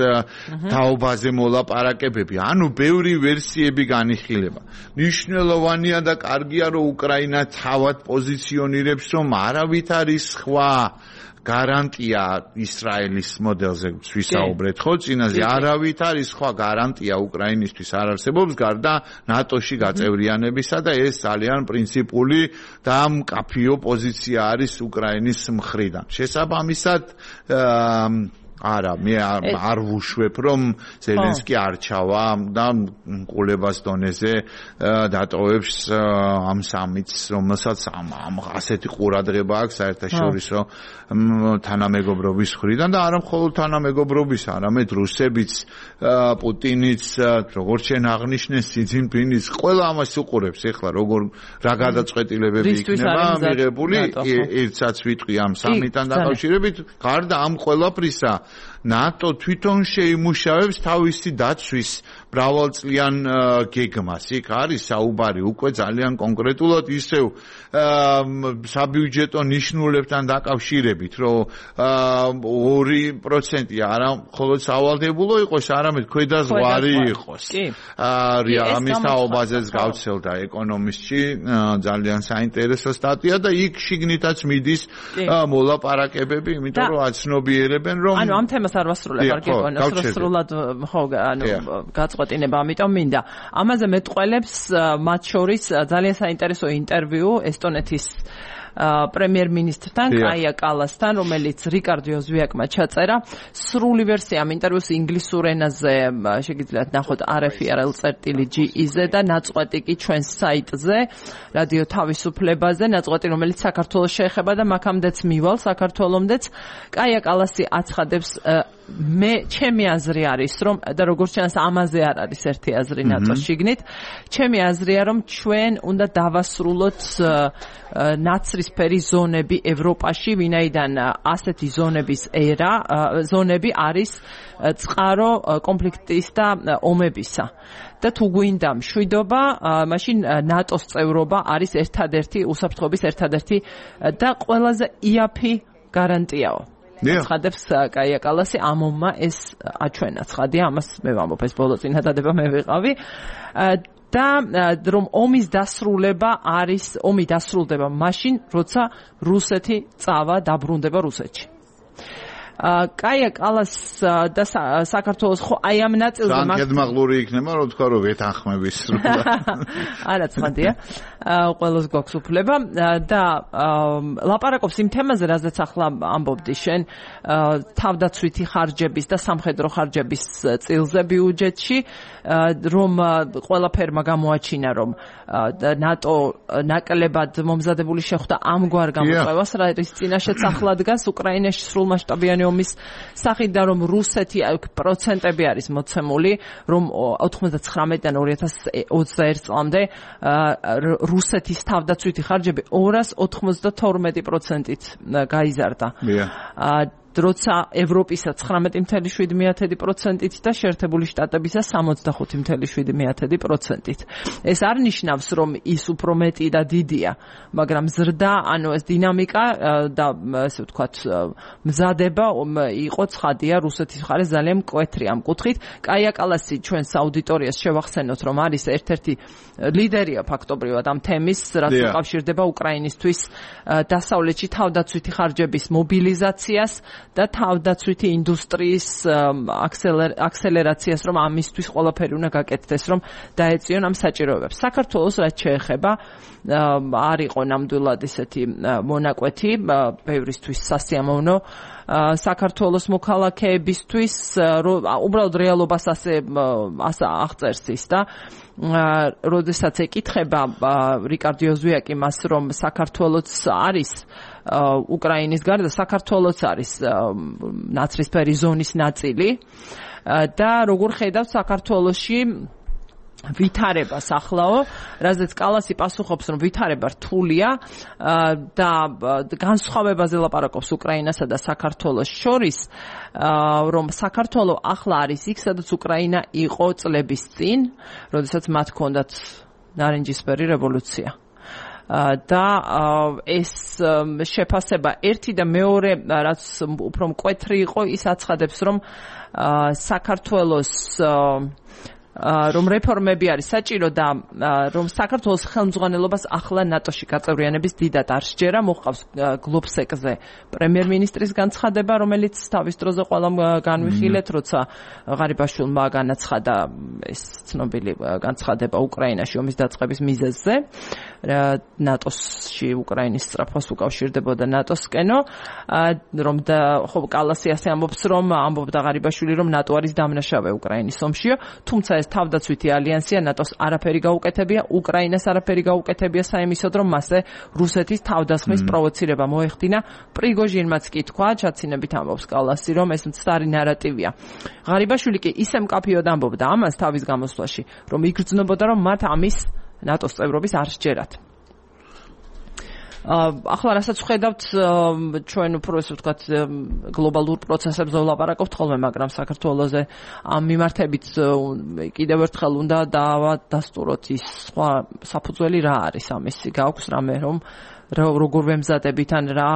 თაობაზე ლაპარაკებები, ანუ ბევრი ვერსიები განიხილება. მნიშვნელოვანია და კარგია, რომ უკრაინა თავად პოზიციონირებს, რომ არავით არის სხვა გარანტია ისრაელის მოდელზე ვისაუბრეთ, ხო, წინაზე არავით არის სხვა გარანტია უკრაინისთვის არ არსებობს გარდა ნატოში გაწევრიანებისა და ეს ძალიან პრინციპული და მკაფიო პოზიცია არის უკრაინის მხრიდან. შესაბამისად არა, მე არ ვუშვებ, რომ ზელენსკი არ ჩავა და ყოლებას დონეზე დატოვებს ამ სამიტს, რომელსაც ასეთი ყურადღება აქვს საერთაშორისო თანამეგობრობის მხრიდან და არა მხოლოდ თანამეგობრობის, არამედ რუსებიც, პუტინიც, როგორც შენ აღნიშნე, სი ძინპინიც, ყველა ამას უყურებს ეხლა, რა გადაწყვეტილებები იქნება მიღებული, ერთსაც ვიტყვი ამ სამიტთან დაკავშირებით, გარდა ამ ყველაფრისა ნატო თვითონ შეიმუშავებს თავისი დაცვის მრავალწლიან გეგმას. იქ არის საუბარი უკვე ძალიან კონკრეტულად ისევ საბიუჯეტო ნიშნულებთან დაკავშირებით, რომ 2% არა მხოლოდ სავალდებულო იყოს, არამედ ქვედაზღვარი იყოს. ამის თაობაზეც გავცელდა ეკონომისტში ძალიან საინტერესო სტატია და იქ შიგნითაც მიდის მოლაპარაკებები, იმიტომ რომ აცნობიერებენ რომ ანუ ამ თემას არ ვასრულებ, არ გიგონოს სრულად ხო გაწყვეტინება, ამიტომ მინდა ამაზე მეტყველებს მათ შორის ძალიან საინტერესო ინტერვიუ ესტონეთის პრემიერ-მინისტრთან კაია კალასთან, რომელიც რიკარდ იოზვიაკმა ჩაწერა. სრული ვერსია ამ ინტერვიუს ინგლისურ ენაზე შეგიძლიათ ნახოთ rfi.ge-ზე და ნაწყვეტი კი ჩვენს საიტზე, რადიო თავისუფლებაზე, ნაწყვეტი რომელიც საქართველოს შეეხება და მაქამდეც მივალ საქართველომდეც. კაია კალასი აცხადებს ჩემი აზრი არის, რომ და როგორც ჩანს ამაზე არ არის ერთი აზრი ნატოს შიგნით. ჩემი აზრია, რომ ჩვენ უნდა დავასრულოთ ნაცრისფერი ზონები ევროპაში, ვინაიდან ასეთი ზონები არის წყარო კონფლიქტის და ომებისა. და თუ გვინდა მშვიდობა, მაშინ ნატოს წევრობა არის ერთადერთი უსაფრთხოების ერთადერთი და ყველაზე იაფი გარანტიაო. ცხადებს კაია კალასი, ამომმა ეს აჩვენა. ცხადია, ამას მე ვამბობ, ეს ბოლო წინადადება მე ვიყავი. და რომ ომი დასრულდება მაშინ, როცა რუსეთი წავა დაბრუნდება რუსეთში. კაია კალას და საქართველოს ხო აი ამ ნაწილზე გედმაღლური იქნება, რომ თქვა რომ ვეთანხმების სრულად. არა, ცხადია. ყველას გვაქვს უფლება და ლაპარაკობს იმ თემაზე, რაზეც ახლა ამბობდი შენ, თავდაცვითი ხარჯების და სამხედრო ხარჯების წილზე ბიუჯეტში, რომ ყველაფერმა გამოაჩინა, რომ ნატო ნაკლებად მომზადებული შეხვდა ამგვარ გამოწვევას, რის წინაშეც ახლა დგას უკრაინაში სრულმასშტაბიანი ომის სახით და რომ რუსეთი პროცენტები არის მოცემული, რომ 99-დან 2021 წლამდე რუსეთის თავდაცვითი ხარჯები 292%-ით გაიზარდა. როცა ევროპისა 19.7%-ით და შეერთებული შტატებისა 65.7%-ით. ეს არ ნიშნავს, რომ ის უფრო მეტი და დიდია, მაგრამ ზრდა, ანუ ეს დინამიკა და ასე ვთქვათ, მზადება იყო ცხადია რუსეთის მხარეს ძალიან მკვეთრი ამ კუთხით. კაია კალასი ჩვენს აუდიტორიას შევახსენოთ, რომ არის ერთ-ერთი ლიდერია ფაქტობრივად ამ თემის, რაც უკავშირდება უკრაინისთვის დასავლეთში თავდაცვითი ხარჯების მობილიზაციას და თავდაცვითი ინდუსტრიის აქსელერაციას, რომ ამისთვის ყველაფერი უნდა გაკეთდეს, რომ დაეწიონ ამ საჭიროებებს. საქართველოს რაც შეეხება, არ იყო ნამდვილად ესეთი მონაკვეთი, ბევრისთვის სასიამოვნო საქართველოს მოქალაქეებისთვის, უბრალოდ რეალობას ასე აღწერს ის და როდესაც ეკითხება რიკარდ იოზვიაკი მას, რომ საქართველოს არის უკრაინის გარდა, საქართველოს არის ნაცრისფერი ზონის ნაწილი და როგორ ხედავთ საქართველოში ვითარებასახლაო, რაზეც კალასი პასუხობს, რომ ვითარება რთულია და განსხვავებაზე ლაპარაკობს უკრაინასა და საქართველოს შორის, რომ საქართველო ახლა არის იქ, სადაც უკრაინა იყო წლების წინ, როდესაც მათ ჰქონდათ ნარინჯისფერი რევოლუცია. და ეს შეფასება ერთი და მეორე, რაც უფრო მკვეთრი იყო, ის აცხადებს, რომ საქართველოს რომ რეფორმები არის საჭირო და რომ საქართველოს ხელმძღვანელობას ახლა ნატოში გაწევრიანების დიდად არ სჯერა. მოჰყავს გლობსეკზე პრემიერ-მინისტრის განცხადება, რომელიც თავის დროზე ყველამ განვიხილეთ, როცა ღარიბაშვილმა განაცხადა ეს ცნობილი განცხადება უკრაინაში ომის დაწყების მიზეზზე. ნატოში უკრაინის სწრაფას უკავშირდებოდა ნატოსკენო, რომ და ხო კალასი ასე ამბობს, რომ ამბობდა ღარიბაშვილი, რომ ნატო არის დამნაშავე უკრაინის ომშიო, თუმცა ეს თავდაცვითი ალიანსია ნატოს არაფერი გაუკეთებია, უკრაინას არაფერი გაუკეთებია საიმისოდ, რომ მასზე რუსეთის თავდასხმის პროვოცირება მოეხდინა. პრიგოჟინმაც კი თქვა, ჩაცინებით ამბობს კალასი, რომ ეს მცდარი ნარატივია. ღარიბაშვილი კი ისე მკაფიოდ ამბობდა ამას თავის გამოსვლაში, რომ იგრძნობოდა, რომ მათ ამის ნატოს წევრობის არ სჯერათ. ახლა რასაც ხედავთ ჩვენ უფრო ესე ვთქვათ გლობალურ პროცესებზე ვლაპარაკობთ ხოლმე, მაგრამ საქართველოზე ამ მიმართებით კიდევ ერთხელ უნდა დავადასტუროთ ის სხვა საფუძველი რა არის ამისი, გაქვს რამე რომ როგორ ვემზადებით ან რა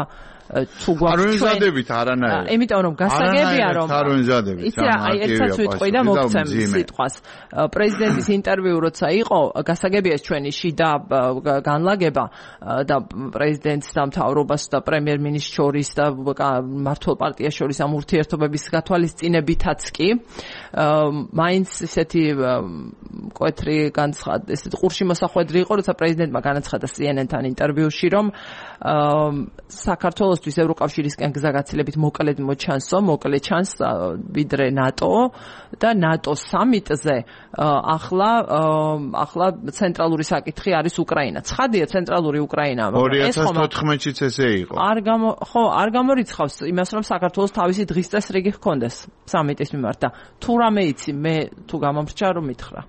თუ გვაქვს ჩვენ არანაირად. იმიტომ რომ გასაგებია რომ იცი რა, აი ერთსაც ვიტყვი და მოგცემ სიტყვას. პრეზიდენტის ინტერვიუ როცა იყო, გასაგებია ჩვენი შიდა განლაგება და პრეზიდენტს და მთავრობას და პრემიერ-მინისტრს შორის და მმართველ პარტიას შორის ამ ურთიერთობების გათვალისწინებითაც კი მაინც ესეთი მკვეთრი ესეთი ყურში მოსახვედრი იყო, როცა პრეზიდენტმა განაცხადა CNN-თან ინტერვიუში, რომ საქართველოსთვის ევროკავშირისკენ გზა გაცილებით მოკლე ჩანს ვიდრე ნატო და ნატოს სამიტზე ახლა ცენტრალური საკითხი არის უკრაინა. ცხადია ცენტრალური უკრაინა. 2014-იც ესე იყო. არ გამორიცხავს იმას, რომ საქართველოს თავისი დღის წესრიგი ჰქონდეს სამიტის მიმართ და თუ რამე იცი, მე თუ გამომრჩა რომ მითხრა.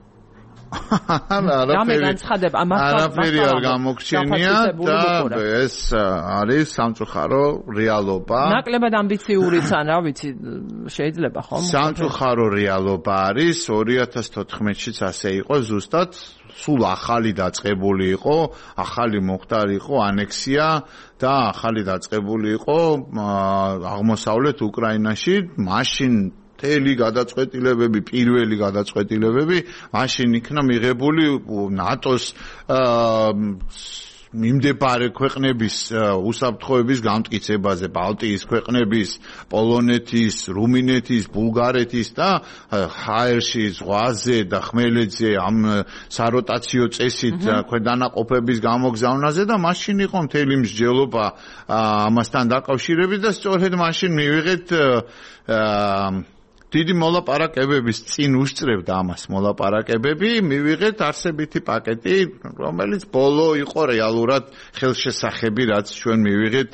არაფერი არ გამოგჩენია და ეს არის სამწუხარო რეალობა. ნაკლებად ამბიციურიც ან რა ვიცი შეიძლება ხომ? სამწუხარო რეალობა არის 2014-იც ასე იყო ზუსტად სულ ახალი დაწყებული იყო, ახალი მოხდარი იყო ანექსია და ახალი დაწყებული იყო აღმოსავლეთ უკრაინაში, მაშინ მთელი გადაწყვეტილებები, პირველი გადაწყვეტილებები მაშინ იქნა მიღებული ნატოს მიმდებარე ქვეყნების უსაფრთხოების გამტკიცებაზე, ბალტიის ქვეყნების, პოლონეთის, რუმინეთის, ბულგარეთის და ჰაერში, ზღვაზე და ხმელეთზე ამ საროტაციო წესით ქვედანაყოფების გამოგზავნაზე და მაშინ იყო მთელი მსჯელობა ამასთან დაკავშირებით და სწორედ მაშინ მივიღეთ დიდი მოლაპარაკებების წინ უსწრებდა ამას მოლაპარაკებები, მივიღეთ არსებითი პაკეტი, რომელიც ბოლო იყო რეალურად ხელშესახები, რაც ჩვენ მივიღეთ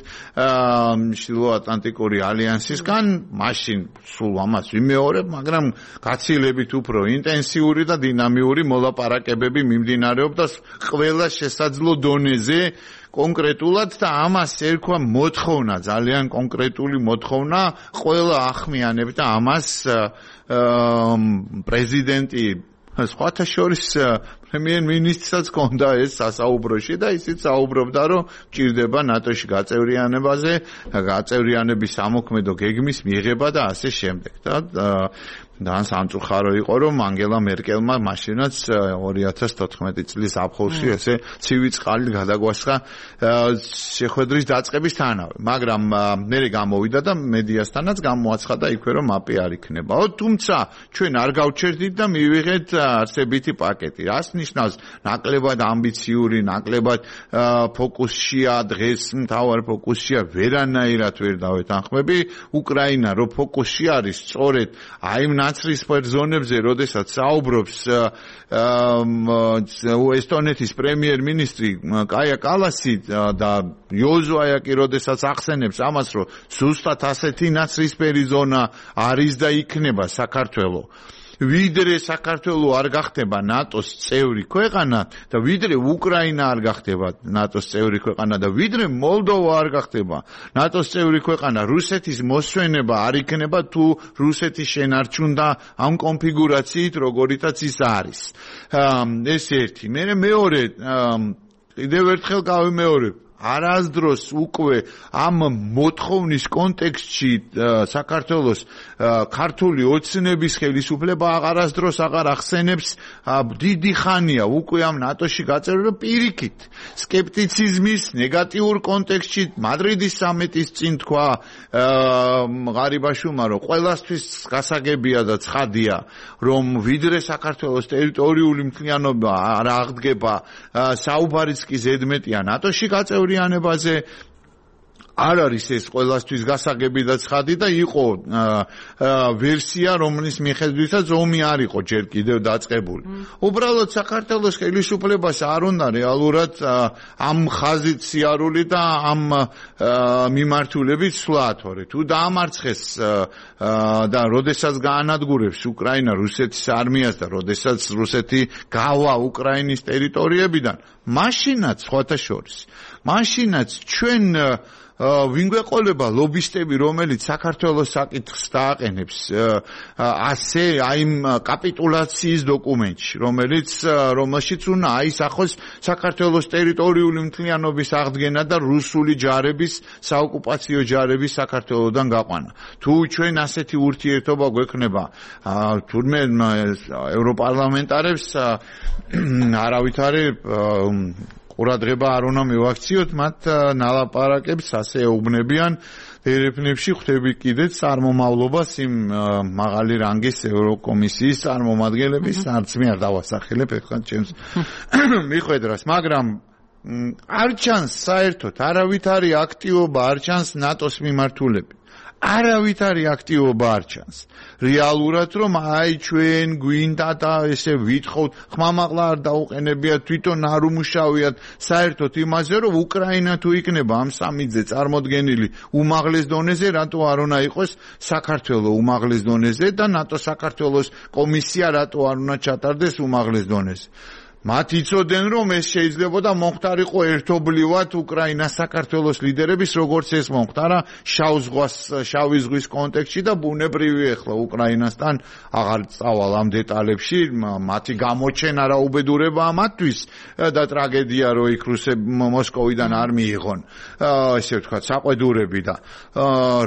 ჩრდილოატლანტიკური ალიანსისგან, მაშინ სულ ამას ვიმეორებ, მაგრამ გაცილებით უფრო ინტენსიური და დინამიური მოლაპარაკებები მიმდინარეობდა ყველა შესაძლო დონეზე კონკრეტულად და ამას ერქვა მოთხოვნა, ძალიან კონკრეტული მოთხოვნა, ყველა ახმიანებდა ამას პრეზიდენტი სხვათა შორის პრემიერ-მინისტრსაც ჰქონდა ეს სასაუბროში და ისიც საუბრობდა, რომ ჭირდება ნატოში გაწევრიანებაზე, გაწევრიანების სამოქმედო გეგმის მიღება და ასე შემდეგ და სამწუხარო იყო, რომ ანგელა მერკელმა მაშინაც 2014 წლის აფხულში ესე ცივი წყალი გადაგვასხა შეხვედრის დაწყებისთანავე, მაგრამ მერე გამოვიდა და მედიასთანაც გამოაცხადა იქვე, რომ მაპი არ იქნება. თუმცა ჩვენ არ გავჩერდით და მივიღეთ არსებითი პაკეტი. რას ნიშნავს ნაკლებად ამბიციური, ნაკლებად ფოკუსშია, დღეს მთავარ ფოკუსშია, ვერანაირად ვერ დავეთანხმები. უკრაინა რო ფოკუსში არის, სწორედ აი ნაცრისფერ ზონებზე, როდესაც საუბრობს ესტონეთის პრემიერ-მინისტრი კაია კალასი და იოზო აიაკი, როდესაც ახსენებს ამას, რომ ზუსტად ასეთი ნაცრისფერი ზონა არის და იქნება საქართველო. ვიდრე საქართველო არ გახდება ნატოს წევრი ქვეყანა და ვიდრე უკრაინა არ გახდება ნატოს წევრი ქვეყანა და ვიდრე მოლდოვა არ გახდება ნატოს წევრი ქვეყანა, რუსეთის მოსვენება არ იქნება თუ რუსეთი შენარჩუნდა ამ კონფიგურაციით, როგორიცაც ის არის. ეს ერთი. მეორე, კიდევ ერთხელ გავიმეორებ, არასდროს უკვე ამ მოთხოვნის კონტექსტში საქართველოს ქართული ოცნების ხელისუფლება არასდროს აღარ ახსენებს დიდი ხანია უკვე ამ ნატოში გაწევრება პირიქით სკეპტიციზმის ნეგატიურ კონტექსტში მადრიდის სამიტის წინ თქვა ღარიბაშვილმა, რომ ყველასთვის გასაგებია და ცხადია, რომ ვიდრე საქართველოს ტერიტორიული მთლიანობა არ აღდგება, საუბარიც კი ზედმეტია ნატოში გაწევრიანებაზე. არ არის ეს ყველასთვის გასაგები და ცხადი და იყო ვერსია, რომლის მიხედვითაც ომი არ იყო ჯერ კიდევ დაწყებული. უბრალოდ საქართველოს ხელისუფლებას არ უნდა რეალურად ამ ხაზით სიარული და ამ მიმართულებით სვლა, თორე თუ დაამარცხეს და როდესაც გაანადგურებს უკრაინა რუსეთის არმიას და როდესაც რუსეთი გავა უკრაინის ტერიტორიებიდან, მაშინაც სხვათა შორის, მაშინაც ჩვენ ვინ გვეყოლება ლობისტები, რომელიც საქართველოს საკითხს დააყენებს ასე აი იმ კაპიტულაციის დოკუმენტში, რომელშიც უნდა აისახოს საქართველოს ტერიტორიული მთლიანობის აღდგენა და რუსული ჯარების, საოკუპაციო ჯარების საქართველოსდან გაყვანა. თუ ჩვენ ასეთი ურთიერთობა გვექნება თურმე ევროპარლამენტარებს არავითარი ყურადღება არ უნდა მივაქციოთ, მათ ნალაპარაკებს ასე ეუბნებიან ერეფნებში ხვდები კიდეც წარმომავლობას იმ მაღალი რანგის ევროკომისიის წარმომადგენლების, არც მე არ დავასახელებ ეხლა ჩემს მიხვედრას, მაგრამ არ ჩანს საერთოდ არავითარი აქტივობა, არ ჩანს ნატოს მიმართულებით. არავითარი აქტივობა არ ჩანს. რეალურად რომ აი ჩვენ გვინდა და ესე ვითხოვთ, ხმამაღლა არ დაუყენებიათ, თვითონ არ უმუშავიათ საერთოდ იმაზე, რომ უკრაინა თუ იქნება ამ სამიძე წარმოდგენილი უმაღლეს დონეზე, რატო არ უნდა იყოს საქართველოს უმაღლეს დონეზე და ნატო საქართველოს კომისია რატო არ უნდა ჩატარდეს უმაღლეს დონეზე. მათ იცოდნენ, რომ ეს შეიძლებოდა მომხდარიყო ერთობლივად უკრაინას საქართველოს ლიდერების, როგორც ეს მომხდარა შავი ზღვის კონტექსტში და ბუნებრივი ახლა უკრაინასთან აღარ წავალ ამ დეტალებში, მათი გამოჩენა რა უბედურებაა მათთვის და ტრაგედია რომ იქ რუსები მოსკოვიდან არ მიიღონ. ესე ვთქვათ, საყვედურები და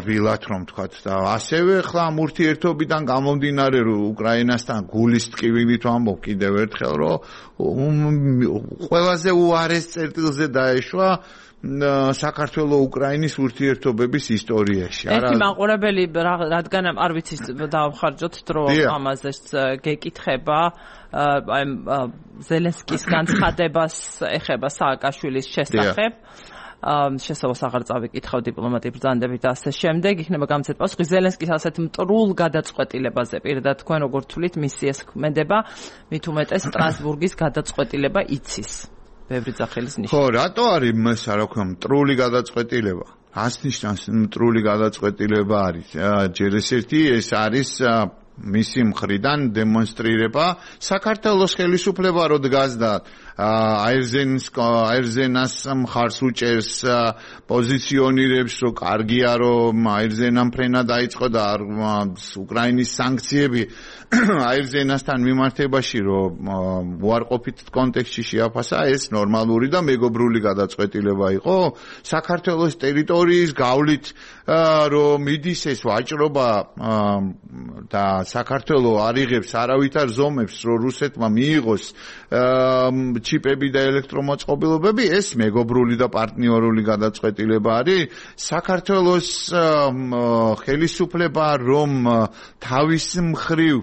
რბილად რომ ვთქვათ და ასევე ახლა ამ ურთიერთობიდან გამომდინარე რომ უკრაინასთან გულის ტკივილით ვამბობ კიდევ ერთხელ რომ ყველაზე უარეს წერტილზე დაეშვა საქართველოს უკრაინის ურთიერთობების ისტორიაში. ერთი მაყურებელი რადგან არ ვიცი დავხარჯოთ დრო ამაზეც გეკითხება აი ზელენსკის განცხადებას ეხება სააკაშვილის შესახებ. შესაძლოა აღარ წავიკითხავ დიპლომატიურ ბრძანდებით და ასე შემდეგ, იქნება გამცეთ პასუხი ზელენსკის ასეთ მტრულ გადაწყვეტილებაზე. პირდად თქვენ როგორ თვლით მისიას ქმედება, მით უმეტეს სტრასბურგის გადაწყვეტილება იცის. ბევრი ძახილის ნიშანი. ხო, რატო არის რა ქვია მტრული გადაწყვეტილება? ას ნიშნავს მტრული გადაწყვეტილება არის? ჯერ ერთი ეს არის მისი მხრიდან დემონსტრირება საქართველოს ხელისუფლება რო დგას და აირზენას მხარს უჭერს, პოზიციონირებს, რომ კარგია რომ აირზენამ ფრენა დაიწყო და უკრაინის სანქციები აირზენასთან მიმართებაში რომ უარყოფით კონტექსტში შეაფასა, ეს ნორმალური და მეგობრული გადაწყვეტილება იყო. საქართველოს ტერიტორიის გავლით რომ მიდის ეს ვაჭრობა და საქართველოს არ იღებს არავითარ ზომებს, რომ რუსეთმა მიიღოს ჩიპები და ელექტრომოწყობილობები, ეს მეგობრული და პარტნიორული გადაწყვეტილება არის. საქართველოს ხელისუფლება რომ თავის მხრივ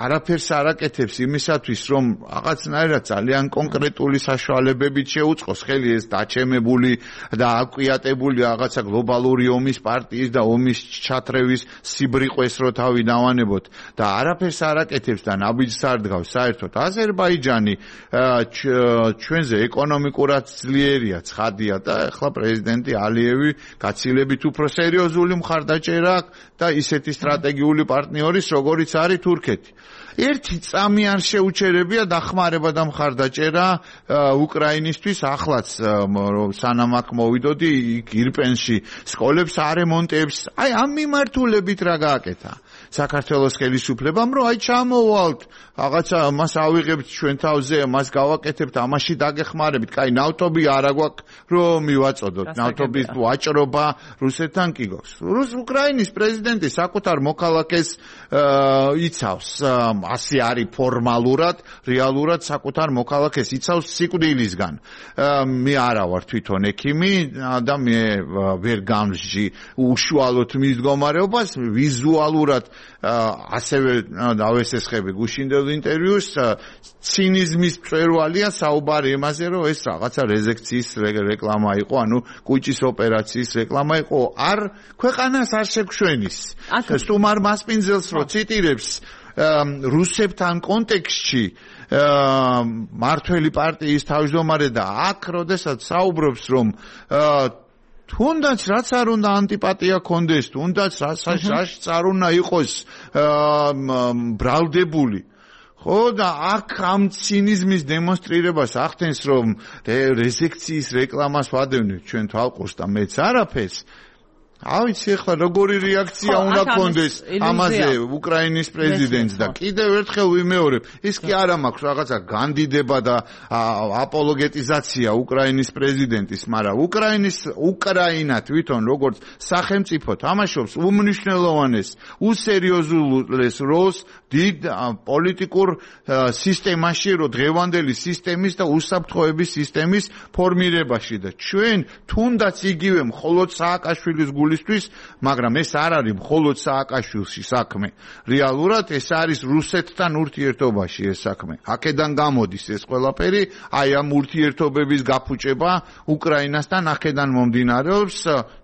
არაფერს არ აკეთებს იმისათვის, რომ რაღაცნაირად ძალიან კონკრეტული საშუალებებით შეუწყოს ხელი ეს დაჩემებული და აკვიატებული რაღაცა გლობალური ომის პარტიის და ომის ჩათრევის სიბრიყვეს რო თავი დავანებოთ და არაფერს არ აკეთებს და ნაბიჯს არ დგავს საერთოდ. აზერბაიჯანი ჩვენზე ეკონომიკურად ძლიერია, ცხადია და ახლა პრეზიდენტი ალიევი გაცილებით უფრო სერიოზული მხარდაჭერა და ისეთი სტრატეგიული პარტნიორის, როგორიც არის თურქეთი. ერთი წამი არ შეუჩერებია დახმარება და მხარდაჭერა უკრაინისთვის ახლაც სანამ აქ მოვიდოდი ირპენში სკოლებს არემონტებს, აი ამ მიმართულებით რა გააკეთა საქართველოს ხელისუფლებამ, რომ აი ჩამოვალთ რაღაცა მას ავიღებთ ჩვენ თავზე, მას გავაკეთებთ, ამაში დაგეხმარებით, კაი ნავთობი არა გვაქვს რომ მივაწოდოთ, ნავთობის ვაჭრობა რუსეთთან კი გვაქვს. უკრაინის პრეზიდენტი საკუთარ მოქალაქეს იცავს ასე არის ფორმალურად, რეალურად საკუთარ მოქალაქეს იცავს სიკვდილისგან. მე არა ვარ თვითონ ექიმი და მე ვერ გამსჯი უშუალოდ მის მდგომარეობას, ვიზუალურად ასევე დავესესხები გუშინდელ ინტერვიუს, ცინიზმის მწვერვალია საუბარი იმაზე, რომ ეს რაღაცა რეზექციის რეკლამა იყო, ანუ კუჭის ოპერაციის რეკლამა იყო, არ ქვეყანას არ შეგშვენის. სტუმარ მასპინძელს რო ციტირებს რუსებთან კონტექსტში მართველი პარტიის თავმჯდომარე და აქ როდესაც საუბრობს რომ თუნდაც რაც არ უნდა ანტიპატია კონდეს, თუნდაც რაც არ უნდა იყოს ბრალდებული. ხო და აქ ამ ცინიზმის დემონსტრირებას ახდენს რომ რეზექციის რეკლამას ვადევნებთ ჩვენ თვალყურს და მეც არაფერს. ავიცი ახლა როგორი რეაქცია უნდა კონდეს ამაზე უკრაინის პრეზიდენტს და კიდევ ერთხელ ვიმეორებ, ის კი არა მაქვს რაღაცა განდიდება და აპოლოგეტიზაცია უკრაინის პრეზიდენტის, მაგრამ უკრაინა თვითონ როგორც სახელმწიფო თამაშობს უმნიშვნელოვანეს, უსერიოზულეს როლს დიდ პოლიტიკურ სისტემაში, რო დღევანდელი სისტემის და უსაფრთხოების სისტემის ფორმირებაში და ჩვენ თუნდაც იგივე მხოლოდ სააკაშვილის გულისთვის, მაგრამ ეს არ არის მხოლოდ სააკაშვილში საქმე. რეალურად ეს არის რუსეთთან ურთიერთობაში ეს საქმე. აქედან გამოდის ეს ყველაფერი, აი ამ ურთიერთობების გაფუჭება უკრაინასთან აქედან მომდინარეობს,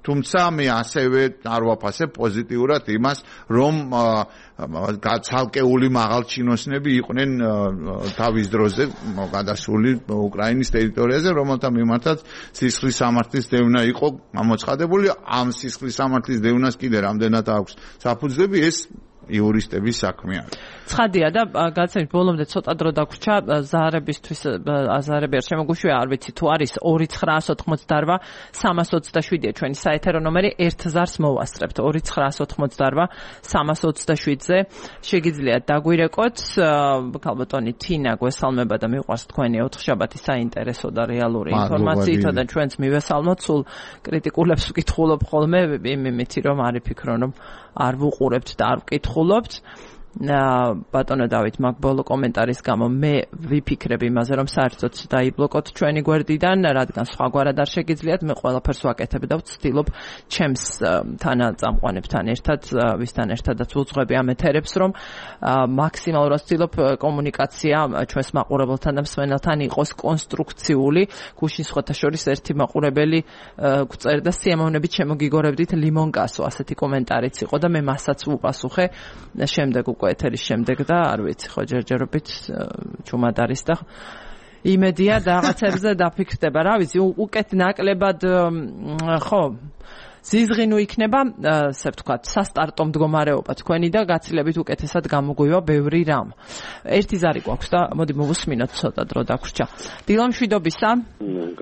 თუმცა მე ასევე არ ვაფასებ პოზიტიურად იმას, რომ ცალკეული მაღალჩინოსნები იყვნენ თავის დროზე გადასული უკრაინის ტერიტორიაზე, რომელთა მიმართაც სისხლის სამართლის დევნა იყო გამოცხადებული. ამ სისხლის სამართლის დევნას კიდე რამდენად აქვს საფუძვლები, ეს იურისტების საქმე არის. ცხადია და გაცემით ბოლომდე ცოტა დრო დაგვრჩა ზაარებისთვის, აზარები არ შემოგუშვია, არ ვიცი თუ არის 2988 327-ია ჩვენი საეთერო ნომერი, 1000-ს მოვასწრებთ 2988 327-ზე შეგიძლიათ დაგვირეკოთ. ქალბატონი თინა გვესალმება და მიყვარს თქვენი ოთხშაბათი საინტერესო და რეალური ინფორმაციით და ჩვენც მივესალმოთ, სულ კრიტიკულებს ვკითხულობ ხოლმე იმითი რომ არ იფიქრონ რომ არ ვუყურებთ და არ ვკითხულობთ. ბატონო დავით, მაგ ბოლო კომენტარის გამო მე ვიფიქრებ იმაზე, რომ საერთოდ დაიბლოკოთ ჩვენი გვერდიდან, რადგან სხვაგვარად არ შეგიძლიათ, მე ყველაფერს ვაკეთებ და ვცდილობ ჩემს თანაწამყვანებთან ერთად, ვისთან ერთადაც ვუძღვები ამ ეთერებს, რომ მაქსიმალურად ვცდილობ კომუნიკაცია ჩვენს მაყურებელთან და მსმენელთან იყოს კონსტრუქციული. გუშინ სხვათა შორის ერთი მაყურებელი გვწერდა სიამოვნებით შემოგიგორებდით ლიმონკასო, ასეთი კომენტარიც იყო და მე მასაც ვუპასუხე შემდეგ უკვე ეთერის შემდეგ და არ ვიცი ხო ჯერჯერობით ჩუმად არის და იმედია რაღაცებზე დაფიქრდება, რა ვიცი, უკეთ ნაკლებად ხო ზიზღინუ იქნება, ასე ვთქვათ, სასტარტო მდგომარეობა თქვენი და გაცილებით უკეთესად გამოგვივა ბევრი რამ. ერთი ზარი გვაქვს და მოდი მოვუსმინოთ ცოტა დრო დაგვრჩა. დილა მშვიდობისა.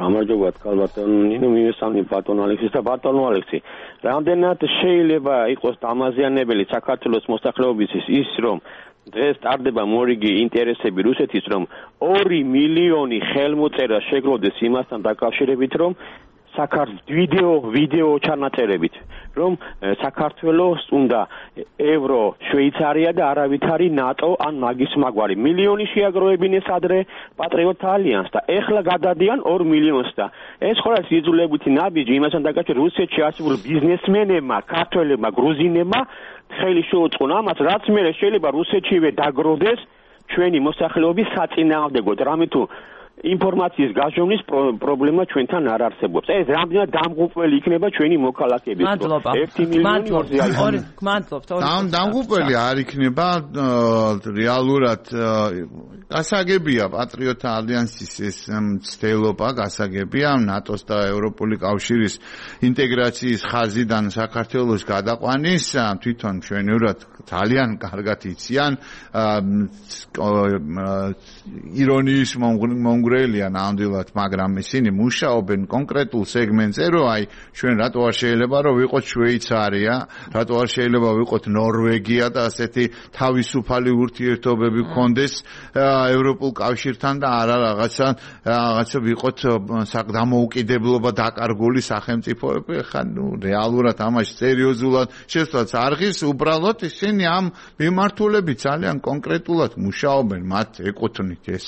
გამარჯობათ ქალბატონი, მივესალმი ბატონ ალექსის და ბატონო ალექსი. რამდენად შეიძლება იყოს დამაზიანებელი საქართველოს მოსახლეობისთვის ის, რომ დღეს ტარდება მორიგი ინტერესები რუსეთის, რომ 2 მილიონი ხელმოწერა შეგროვდეს იმასთან დაკავშირებით, რომ ვიდეო ჩანაწერებით, რომ საქართველოს უნდა ევრო, შვეიცარია და არავითარი ნატო ან მაგის მაგვარი მილიონი შეაგროვებინეს ადრე პატრიოტ ალიანსს და ეხლა გადადიან 2 მილიონს და ეს ხო არის იძულებითი ნაბიჯი იმასთან დაკავშირებით რუსეთში არსებულ ბიზნესმენებმა, ქართველებმა, გრუზინებმა ხელი შეუწყონ ამას, რაც მერე შეიძლება რუსეთშივე დაგროვდეს ჩვენი მოსახლეობის საწინააღმდეგოდ, რამე თუ ინფორმაციის გაჟონვის პრობლემა ჩვენთან არ არსებობს. ეს რამდენად დამღუპველი იქნება ჩვენი მოქალაქეების. 1 მილიონი მადლობთ. დამღუპველი არ იქნება რეალურად გასაგებია პატრიოტთა ალიანსის ეს მცდელობა, გასაგებია ნატოს და ევროპული კავშირის ინტეგრაციის ხაზიდან საქართველოს გადაყვანის, თვითონ მშვენივრად ძალიან კარგად იციან, ირონიის მომგვრელია ნამდვილად, მაგრამ ისინი მუშაობენ კონკრეტულ სეგმენტზე, რომ აი ჩვენ რატო არ შეიძლება რომ ვიყოთ შვეიცარია, რატო არ შეიძლება ვიყოთ ნორვეგია და ასეთი თავისუფალი ურთიერთობები გქონდეს ევროპულ კავშირთან და არა რაღაცა ვიყოთ დამოუკიდებლობა დაკარგული სახელმწიფოები, ხა რეალურად ამაში სერიოზულად შესვლაც არღის, უბრალოდ ისინი ამ მიმართულებით ძალიან კონკრეტულად მუშაობენ, მათ ეკუთვნით ეს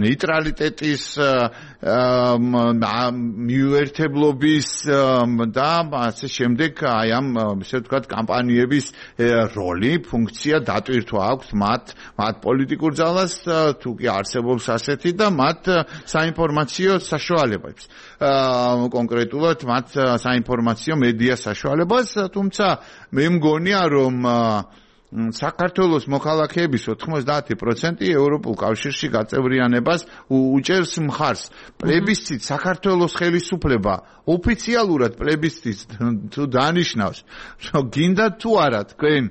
ნეიტრალიტეტის მიუერთებლობის და ასე შემდეგ აი ამ ესე ვთქვათ კამპანიების როლი, ფუნქცია დატვირთვა აქვს მათ პოლიტიკურ ძალას თუ კი არსებობს ასეთი და მათ საინფორმაციო საშუალებებს კონკრეტულად მათ საინფორმაციო მედია საშუალებას, თუმცა მე მგონია რომ საქართველოს მოქალაქეების 90% ევროპულ კავშირში გაწევრიანებას უჭერს მხარს. პლებისციტ საქართველოს ხელისუფლება ოფიციალურად პლებისციტს თუ დანიშნავს, რომ გინდა თუ არა თქვენ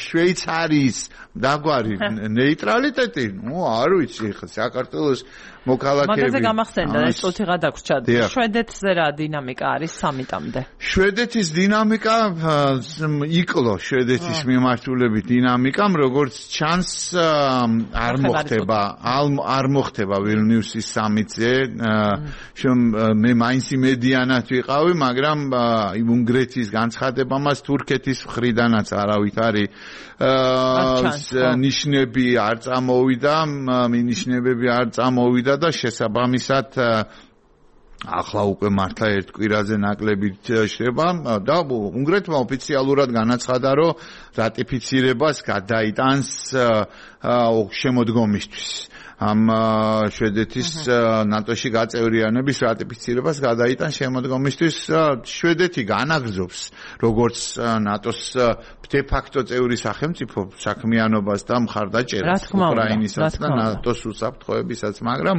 შვეიცარიის დაგვარი ნეიტრალიტეტი, არ ვიცი ხა საქართველოს მოქალაქეები. მაგაზე გამახსენდა ეს წუთი გადაგვრჩა. შვედეთზე რა დინამიკა არის სამიტამდე? შვედეთის დინამიკა იკლო შვედეთის მიმართულებით დინამიკამ, როგორც ჩანს არ მოხდება ვილნიუსის სამიტზე. მე მაინც იმედიანად ვიყავი, მაგრამ უნგრეთის განცხადება მას თურქეთის მხრიდანაც არავით არის ნიშნები არ წამოვიდა, მინიშნებები არ წამოვიდა და შესაბამისად ახლა უკვე მართლა ერთ კვირაზე ნაკლებით შრება და უნგრეთმა ოფიციალურად განაცხადა, რომ რატიფიცირებას გადაიტანს შემოდგომისთვის. ამ შვედეთის ნატოში გაწევრიანების რატიფიცირებას გადაიტანს შემოდგომისთვის. შვედეთი განაგრძობს როგორც ნატოს de facto წევრი სახელმწიფო საქმიანობას და მხარდაჭერას უკრაინისაც და ნატოს უსაფრთხოებისაც, მაგრამ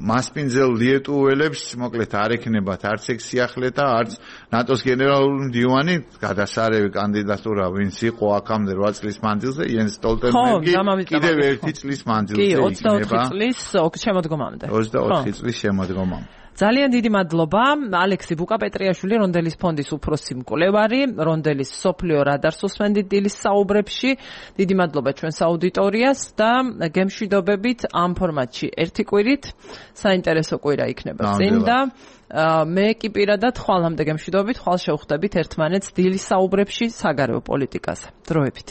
მასპინძელ ლიეტუველებს მოკლედ არ ექნებათ არც ეგ სიახლე და არც ნატოს გენერალური მდივანი გადასარევი კანდიდატურა ვინც იყო აქამდე 8 წლის მანძილზე იენს სტოლტენბერგი კიდევ 1 წლის მანძილზე იქნება 24 წლის შემოდგომამდე 24 წლის შემოდგომამდე. ძალიან დიდი მადლობა ალექსი ბუკაპეტრიაშვილი, რონდელის ფონდის უფროსი მკვლევარი, რონდელის სოფლიო რადარს უსმენდით დილის საუბრებში. დიდი მადლობა ჩვენს აუდიტორიას და გემშვიდობებით ამ ფორმატში ერთი კვირით საინტერესო კვირა იქნება წინ და მე კი პირადად ხვალამდე გემშვიდობებით, ხვალ შევხვდებით ერთმანეთს დილის საუბრებში საგარეო პოლიტიკაზე. დროებით.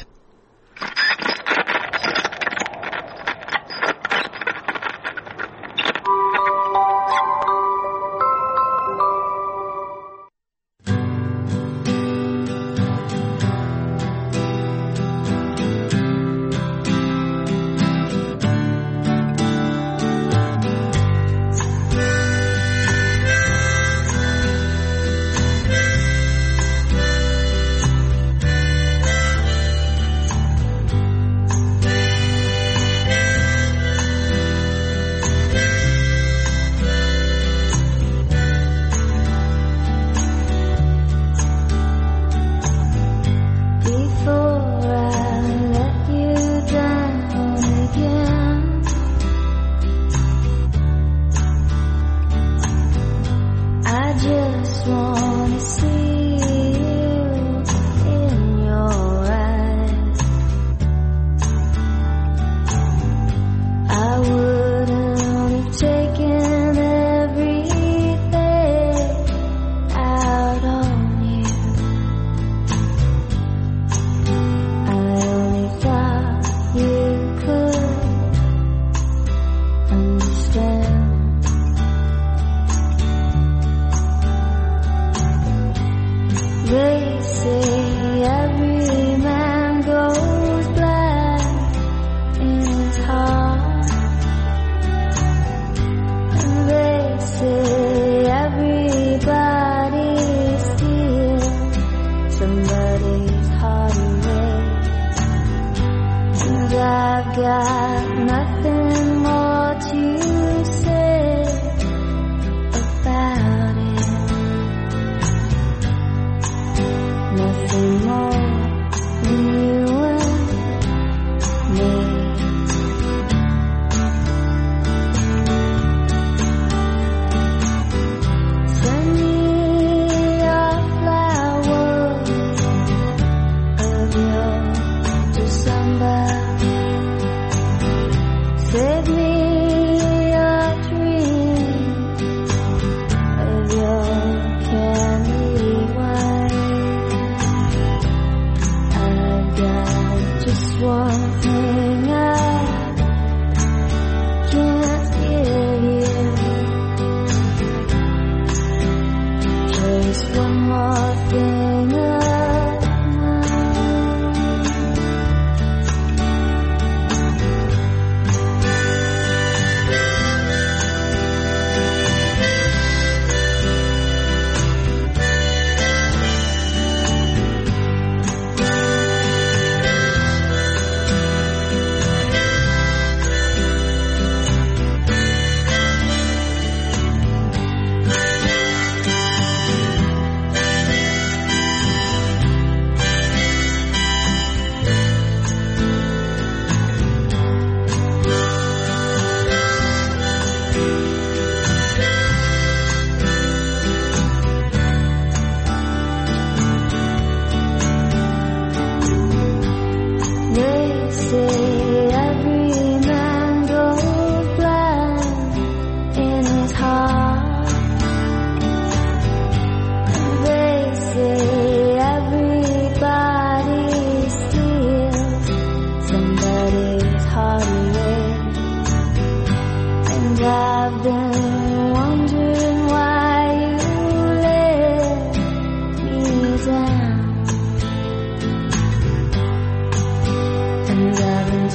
one thing I can't give you. Just one more thing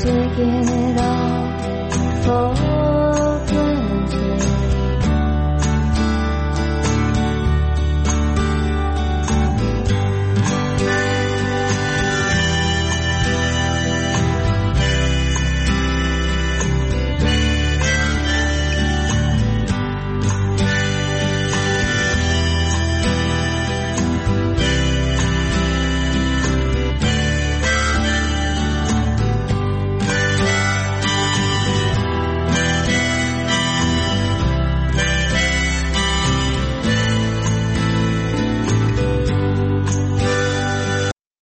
taking it all for